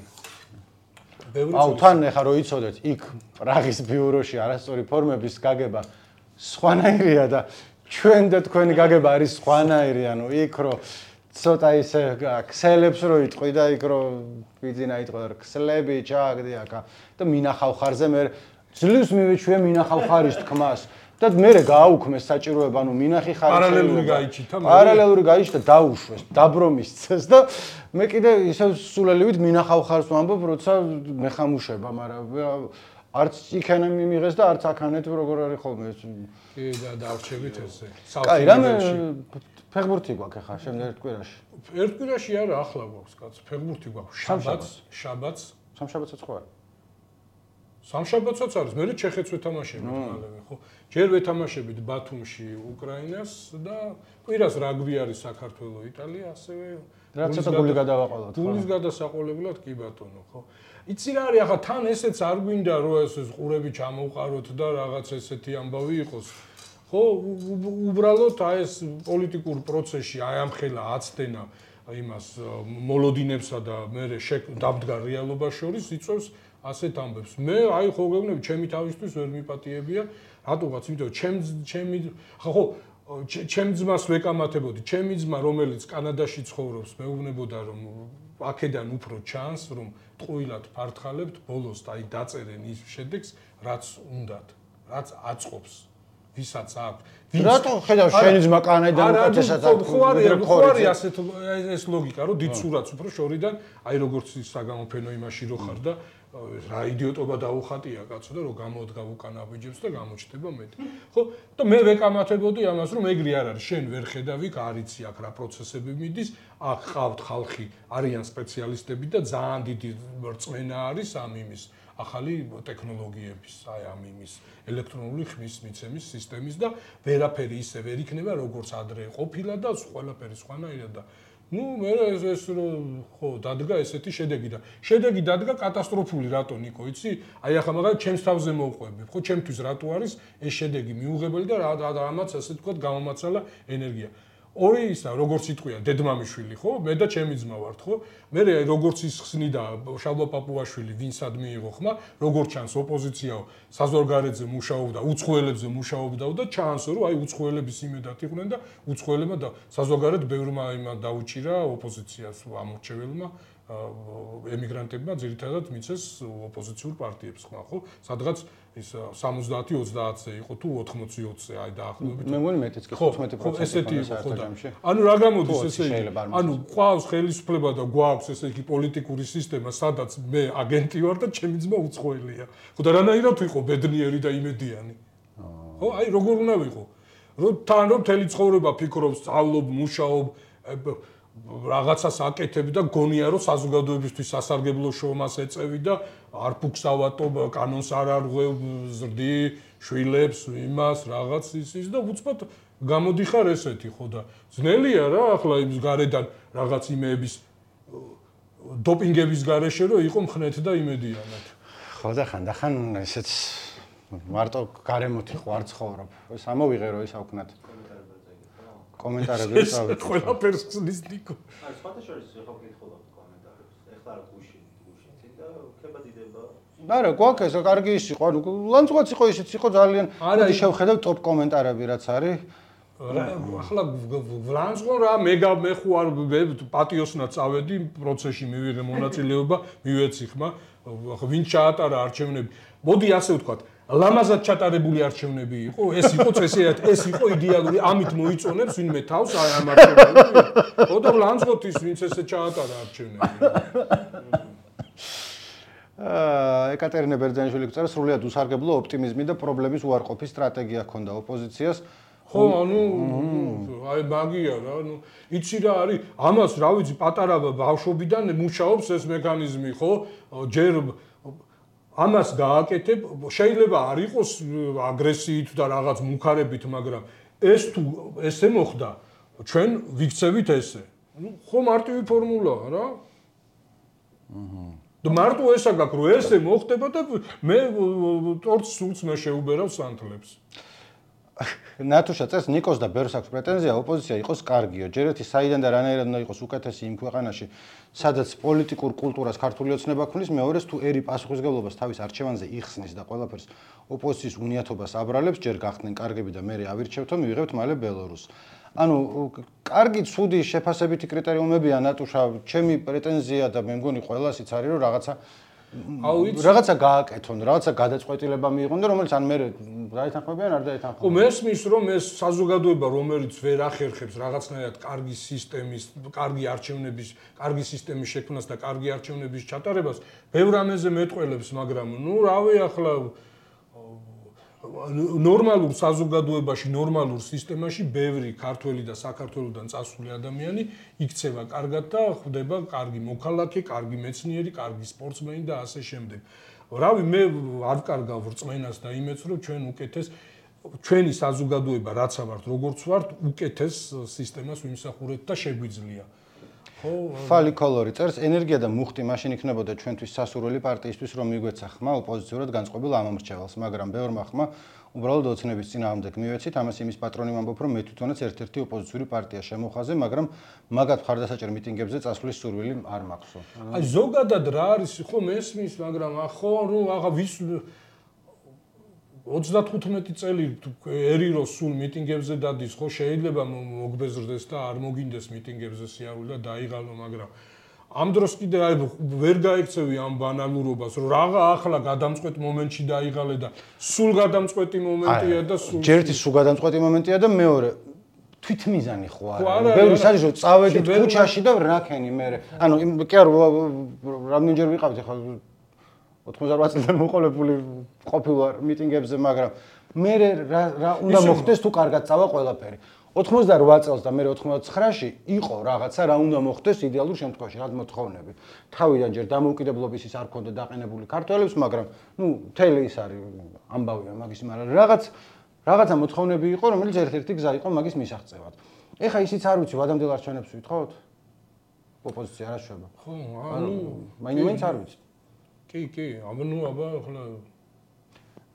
აუ თან ახლა რო იცოდეთ, იქ პრაღის ბიუროში არასწორი ფორმების გაგება სხვანაირია და ჩვენ და თქვენი გაგება არის სხვანაირი, ანუ იქ რო ცოტა ისე ქსელებს რო იტყვი და იქ რო ვიძინა იტყვი და ქსლები ჩააგდი აკა და მინახავ ხარზე მე ძლივს მივეჩვია მინახავ ხარის თქმას და მე გააუქმეს საჭიროება, ანუ მინახი ხარის პარალელური გაიჩითა მე პარალელური გაიჩითა დაუშვეს, დაბრომის წეს და მე კიდე ისე სულელივით მინახავ ხარს ვამბობ, როცა მეხამუშება, მაგრამ არც იქანა მიმიღეს და არც აქანეთ როგორ არის ხოლმე ეს. კი და დავრჩებით ესე. კაი, რამე ფეხბურთი გვაქვს ახლა შემდეგ კვირაში. ერთ კვირაში არა, ახლა გვაქვს კაცო, ფეხბურთი გვაქვს. შაბათს. სამშაბათსაც ხო არა? სამშაბათსაც არის, მე ჩეხეთს ვეთამაშებით მალევე, ხო? ჯერ ვეთამაშებით ბათუმში უკრაინას და კვირას რაგბი არის საქართველოს, იტალია, ასევე რაც ცოტა გული გადავაყოლოთ, ხო? გულის გადასაყოლებლად კი ბატონო, ხო? იცი რა არის, ახლა თან ესეც არ გვინდა რომ ეს ყურები ჩამოვყაროთ და რაღაც ესეთი ამბავი იყოს. ხო, უბრალოდ აი ეს პოლიტიკურ პროცესში აი ამ ხელა აცდენა იმას მოლოდინებსა და მე დამდგა რეალობა შორის იწევს ასეთ ამბებს. მე აი ხო გეუბნები, ჩემი თავისთვის ვერ მიპატიებია, რატოღაც, იმიტომ ჩემი ხო ჩემ ძმას ვეკამათებოდი, ჩემი ძმა რომელიც კანადაში ცხოვრობს, მეუბნებოდა რომ აქედან უფრო ჩანს, რომ ტყუილად ფართხალებთ, ბოლოს აი დაწერენ ის შედეგს, რაც უნდათ, რაც აწყობს. ვისაც აქვს. რატო ხედავ შენი ძმა კანადიდან უკეთესად აქვს? ხო არის ასეთ ეს ლოგიკა, რომ დიდ სურათს უფრო შორიდან, აი როგორც ის საგამოფენო იმაში რო ხარ და რა იდიოტობა დაუხატია კაცო და რომ გამოდგა უკან აბიჯებს და გამოჩნდება მეტი. ხო? და მე ვეკამათებოდი ამას, რომ ეგრე არ არის, შენ ვერ ხედავი, არიცი აქ რა პროცესები მიდის, აქ ყავთ ხალხი, არიან სპეციალისტები და ძალიან დიდი რწმენა არის ამ იმის ახალი ტექნოლოგიების, აი ამ იმის ელექტრონული ხმის მიცემის სისტემის და ვერაფერი ისე ვერ იქნება, როგორც ადრე ყოფილა და ყველაფერი სხვანაირად და ნუ მე ეს ხო დადგა ესეთი შედეგი და შედეგი დადგა კატასტროფული რატო ნიკო იცი? აი ახლა მაგალითად ჩემს თავზე მოვყვები, ხო ჩემთვის რატო არის ეს შედეგი მიუღებელი და რამაც ასე ვთქვათ გამომაცალა ენერგია. ორი ისა როგორც იტყვია დედმამიშვილი ხო? მე და ჩემი ძმა ვართ ხო? მე როგორც ის ხსნიდა შალვა პაპუაშვილი ვინსად მიიღო ხმა, როგორც ჩანს ოპოზიციაო საზღვარგარეთზე მუშაობდა, უცხოელებზე მუშაობდა და ჩანს რომ აი უცხოელების იმედად იყვნენ და უცხოელებმა და საზღვარგარეთ ბევრმა იმან დაუჭირა ოპოზიციას ამორჩეველმა ემიგრანტებმა ძირითადად მიცეს ოპოზიციურ პარტიებს ხმა ხო? სადღაც ის 70-30-ზე იყო თუ 80-20-ზე აი დაახლოებით. მე მგონი მეტიც კი 15%. ესეთი იყო ხო და ანუ რა გამოდის ესე იგი? ანუ ყავს ხელისუფლება და გვაქვს ესე იგი პოლიტიკური სისტემა, სადაც მე აგენტი ვარ და ჩემი ძმა უცხოელია. ხო და რანაირად ვიყო ბედნიერი და იმედიანი? ხო, აი როგორ უნდა ვიყო? რომ თან რომ მთელი ცხოვრება ფიქრობ, სწავლობ, მუშაობ, რაღაცას აკეთებ და გონია რომ საზოგადოებისთვის სასარგებლო შრომას ეწევი და არ ფუქსავატო, კანონს არ არღვევ, ზრდი, შვილებს, იმას, რაღაც ის და უცბად გამოდიხარ ესეთი ხო და ძნელია რა ახლა იმის გარედან რაღაც იმეების დოპინგების გარეშე რომ იყო მხნეთ და იმედიანად. ხო და ხანდახან ესეც მარტო გარემოთი ხო არ ცხოვრობ. ეს ამოვიღე რომ ის აუქნათ. კომენტარები წავით. ყველაფერს ხსნის ნიკო. აი სხვათა შორის ხო გითხულობ კომენტარებს. ეხლა გუშინ წინ და ქებადი წოდდება. არა, გვაქვს ეს კარგი ის იყო, ანუ ლანძღვაც იყო ისიც იყო ძალიან. მოდი შევხედავ ტოპ კომენტარები რაც არის. ახლა ლანძღო რა მე ხო არ პატიოსნად წავედი პროცესში მივიღე მონაწილეობა, მივეცი ხმა, ვინ ჩაატარა არჩევნები. მოდი ასე ვთქვათ, ლამაზად ჩატარებული არჩევნები იყო, ეს იყო წესიათ, ეს იყო იდეალური, ამით მოიწონებს ვინმე თავს ამ არჩევნებში. ოდო ლანძღოთის ვინც ესე ჩაატარა არჩევნები. ეკატერინე ბერძენიშვილი გვწერს, სრულიად უსარგებლო ოპტიმიზმი და პრობლემის უარყოფის სტრატეგია ჰქონდა ოპოზიციას. ხო, ანუ აი მაგია რა, ანუ იცი რა არის, ამას რა ვიცი, პატარა ბავშვობიდან მუშაობს ეს მექანიზმი, ხო? ჯერ ამას გააკეთებ, შეიძლება არ იყოს აგრესიით და რაღაც მუქარებით, მაგრამ ეს თუ ესე მოხდა, ჩვენ ვიქცევით ესე. ну ხო მარტივი ფორმულაა რა. და მარტო ესა გაქვს, რომ ესე მოხდება და მე ტორტს სულს მე შეუბერავ სანთლებს. ნატუშა წეს ნიკოს და ბერს აქვს პრეტენზია ოპოზიცია იყოს კარგიო. ჯერ ერთი საიდან და რანაირად უნდა იყოს უკეთესი იმ ქვეყანაში, სადაც პოლიტიკურ კულტურას ქართული ოცნება ქმნის, მეორეს თუ ერი პასუხისმგებლობას თავის არჩევანზე იხსნის და ყველაფერს ოპოზიციის უნიათობას აბრალებს, ჯერ გახდნენ კარგები და მე ავირჩევთო, მივიღებთ მალე ბელორუსს. ანუ კარგი, ცუდი, შეფასებითი კრიტერიუმებია ნატუშა, ჩემი პრეტენზია და მე მგონი ყველასიც არის, რომ რაღაცა გააკეთონ, რაღაცა გადაწყვეტილება მიიღონ და რომელიც ან მე დაეთანხმებიან, არ დაეთანხმებიან. ხო, მესმის რომ ეს საზოგადოება, რომელიც ვერ ახერხებს რაღაცნაირად კარგი სისტემის, კარგი არჩევნების, კარგი სისტემის შექმნას და კარგი არჩევნების ჩატარებას, ბევრ ამაზე მეტყველებს, მაგრამ ნუ რავი ახლა ნორმალურ საზოგადოებაში, ნორმალურ სისტემაში ბევრი ქართველი და საქართველოსდან წასული ადამიანი იქცევა კარგად და ხდება კარგი მოქალაქე, კარგი მეცნიერი, კარგი სპორტსმენი და ასე შემდეგ. რავი, მე არ ვკარგავ რწმენას და იმედს, რომ ჩვენ უკეთეს ჩვენი საზოგადოება რაცა ვართ, როგორც ვართ, უკეთეს სისტემას ვიმსახურეთ და შეგვიძლია. ფალი კოლორი წერს, ენერგია და მუხტი მაშინ იქნებოდა ჩვენთვის სასურველი პარტიისთვის, რომ მიგვეცა ხმა ოპოზიციურად განწყობილ ამომრჩევალს, მაგრამ ბევრმა ხმა უბრალოდ ოცნების წინააღმდეგ მივეცით, ამას იმის პატრონი ვამბობ, რომ მე თვითონაც ერთ-ერთი ოპოზიციური პარტია შემოხაზე, მაგრამ მაგათ მხარდასაჭერ მიტინგებზე წასვლის სურვილი არ მაქვს. აი ზოგადად რა არის, ხო მესმის, მაგრამ ხო ნუ აღა ვის 35 წელი ერი რო სულ მიტინგებზე დადის, ხო შეიძლება მოგბეზრდეს და არ მოგინდეს მიტინგებზე სიარული და დაიღალო, მაგრამ ამ დროს კიდე აი ვერ გაიქცევი ამ ბანალურობას, რომ რაღა ახლა გადამწყვეტ მომენტში დაიღალე და სულ გადამწყვეტი მომენტია და სულ ჯერთი სულ გადამწყვეტი მომენტია და მეორე თვითმიზანი ხო არა. ბევრი საერთოდ რომ წავედით ქუჩაში და რაკენი მე. ანუ კი არ რამდენჯერ ვიყავით ახლა 98 წლიდან მოყოლებული ყოფილვარ მიტინგებზე, მაგრამ მე რა უნდა მოხდეს თუ კარგად წავა ყველაფერი. 88 წელს და მე 99-ში იყო რაღაცა რა უნდა მოხდეს იდეალურ შემთხვევაში, რა მოთხოვნები. თავიდან ჯერ დამოუკიდებლობის ის არ ქონდა დაყენებული ქართველებს, მაგრამ ნუ მთელი ის არის ამბავია მაგის, მაგრამ რაღაცა მოთხოვნები იყო, რომელიც ერთ-ერთი გზა იყო მაგის მისაღწევად. ეხა ისიც არ ვიცი, ვადამდელ არჩევნებს ვითხოვთ? ოპოზიცია რა შვება? ხო, ანუ მაინც არ ვიცი. კი, ნუ აბა ახლა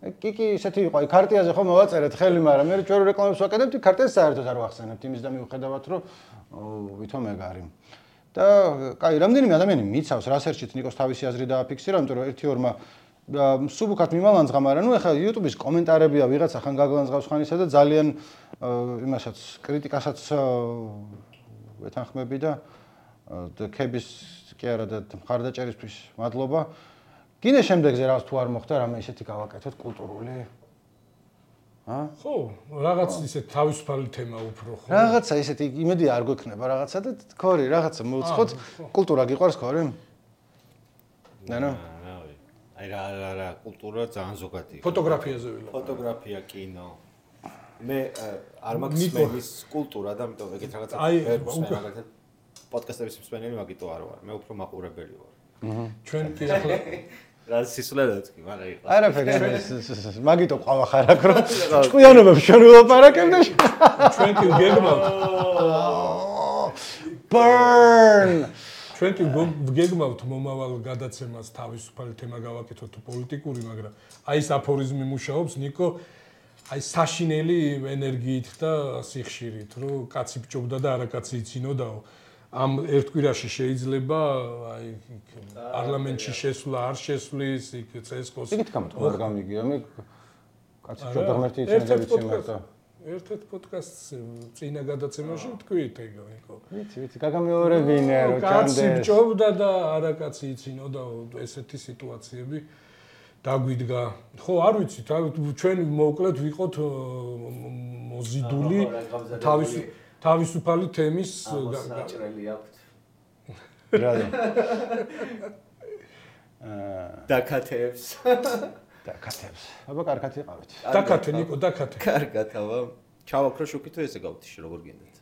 კი, ისეთი იყო, აი ქარტიაზე ხო მოვაწერეთ ხელი, მაგრამ მე ჩვენ რეკლამებს ვაკეთებთ, ქარტიას საერთოდ არ ვახსენებთ, იმის და მიუხედავად, რომ ვითომ ეგარი. და კაი, რამდენიმე ადამიანი მიცავს, რასერჩით ნიკოს თავისი აზრი დააფიქსირა, იმიტომ რომ 1-2-მა სუბუქად მიმალანძღა, მაგრამ ნუ ეხლა YouTube-ის კომენტარებია ვიღაცა ხან გაგლანძღავს ხანისა და ძალიან იმასაც კრიტიკასაც ვეთანხმები და ქების კი არა და მხარდაჭერისთვის მადლობა. კიდე შემდეგზე რაღაც თუ არ მოხდა, რამე ისეთი გავაკეთოთ კულტურული. ხო, რაღაც ისე თავისუფალი თემა უფრო ხო. რაღაცა ისეთი იმედი არ გვექნება რაღაცა და თქორი, რაღაცა მოვცხოთ. კულტურა გიყვარს ხორი? ნანო? აი რა კულტურა ძალიან ზოგადი. ფოტოგრაფიაზე ვილაპარაკ. ფოტოგრაფია, კინო. მე არ მაქვს მენის კულტურა და ამიტომ ეგეთ რაღაცა ვერ მაგალითად პოდკასტების მსმენელი მაგიტო არ ვარ. მე უფრო მაყურებელი ვარ. ჩვენ კი ახლა რა სისულელეც კი, მაგრამ იყო. არაფერი, მაგიტო ყავა ხარ აქ რომ ჭკვიანობებს ჩვენ ვილაპარაკებ და ჩვენ კი გეგმავთ. Burn! ჩვენ კი გეგმავთ მომავალ გადაცემას თავისუფალი თემა გავაკეთოთ თუ პოლიტიკური, მაგრამ აი ეს აფორიზმი მუშაობს ნიკო, აი საშინელი ენერგიით და სიხშირით, რომ კაცი ბჭობდა და არა კაცი იცინოდაო. ამ ერთ კვირაში შეიძლება აი პარლამენტში შესვლა არ შესვლის, იქ CSKO-ს. იქით გამოთქვა არ გამიგია, მე კაცი ცოტა ღმერთი იციან და ვიცი მარტო. ერთ-ერთ პოდკასტს წინა გადაცემაში ვთქვით ეგო. ვიცი, გაგამეორებინე რომ ჩანდეს. კაცი ბჭობდა და არა კაცი იცინოდა ესეთი სიტუაციები დაგვიდგა. ხო, არ ვიცით, ჩვენ მოკლედ ვიყოთ მოზიდული თავისუფალი თემის გაჭრელი აქვთ. რადგან დაკათებს. დაკათებს. აბა კარგად იყავით. დაკათე ნიკო, დაკათე. კარგად, აბა. ჩავაქრო შუქით თუ ესე გავთიშე როგორ გინდათ.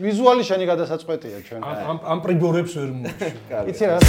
ვიზუალი შენი გადასაწყვეტია ჩვენ. ამ პრიბორებს ვერ მოუჩი. იცი რა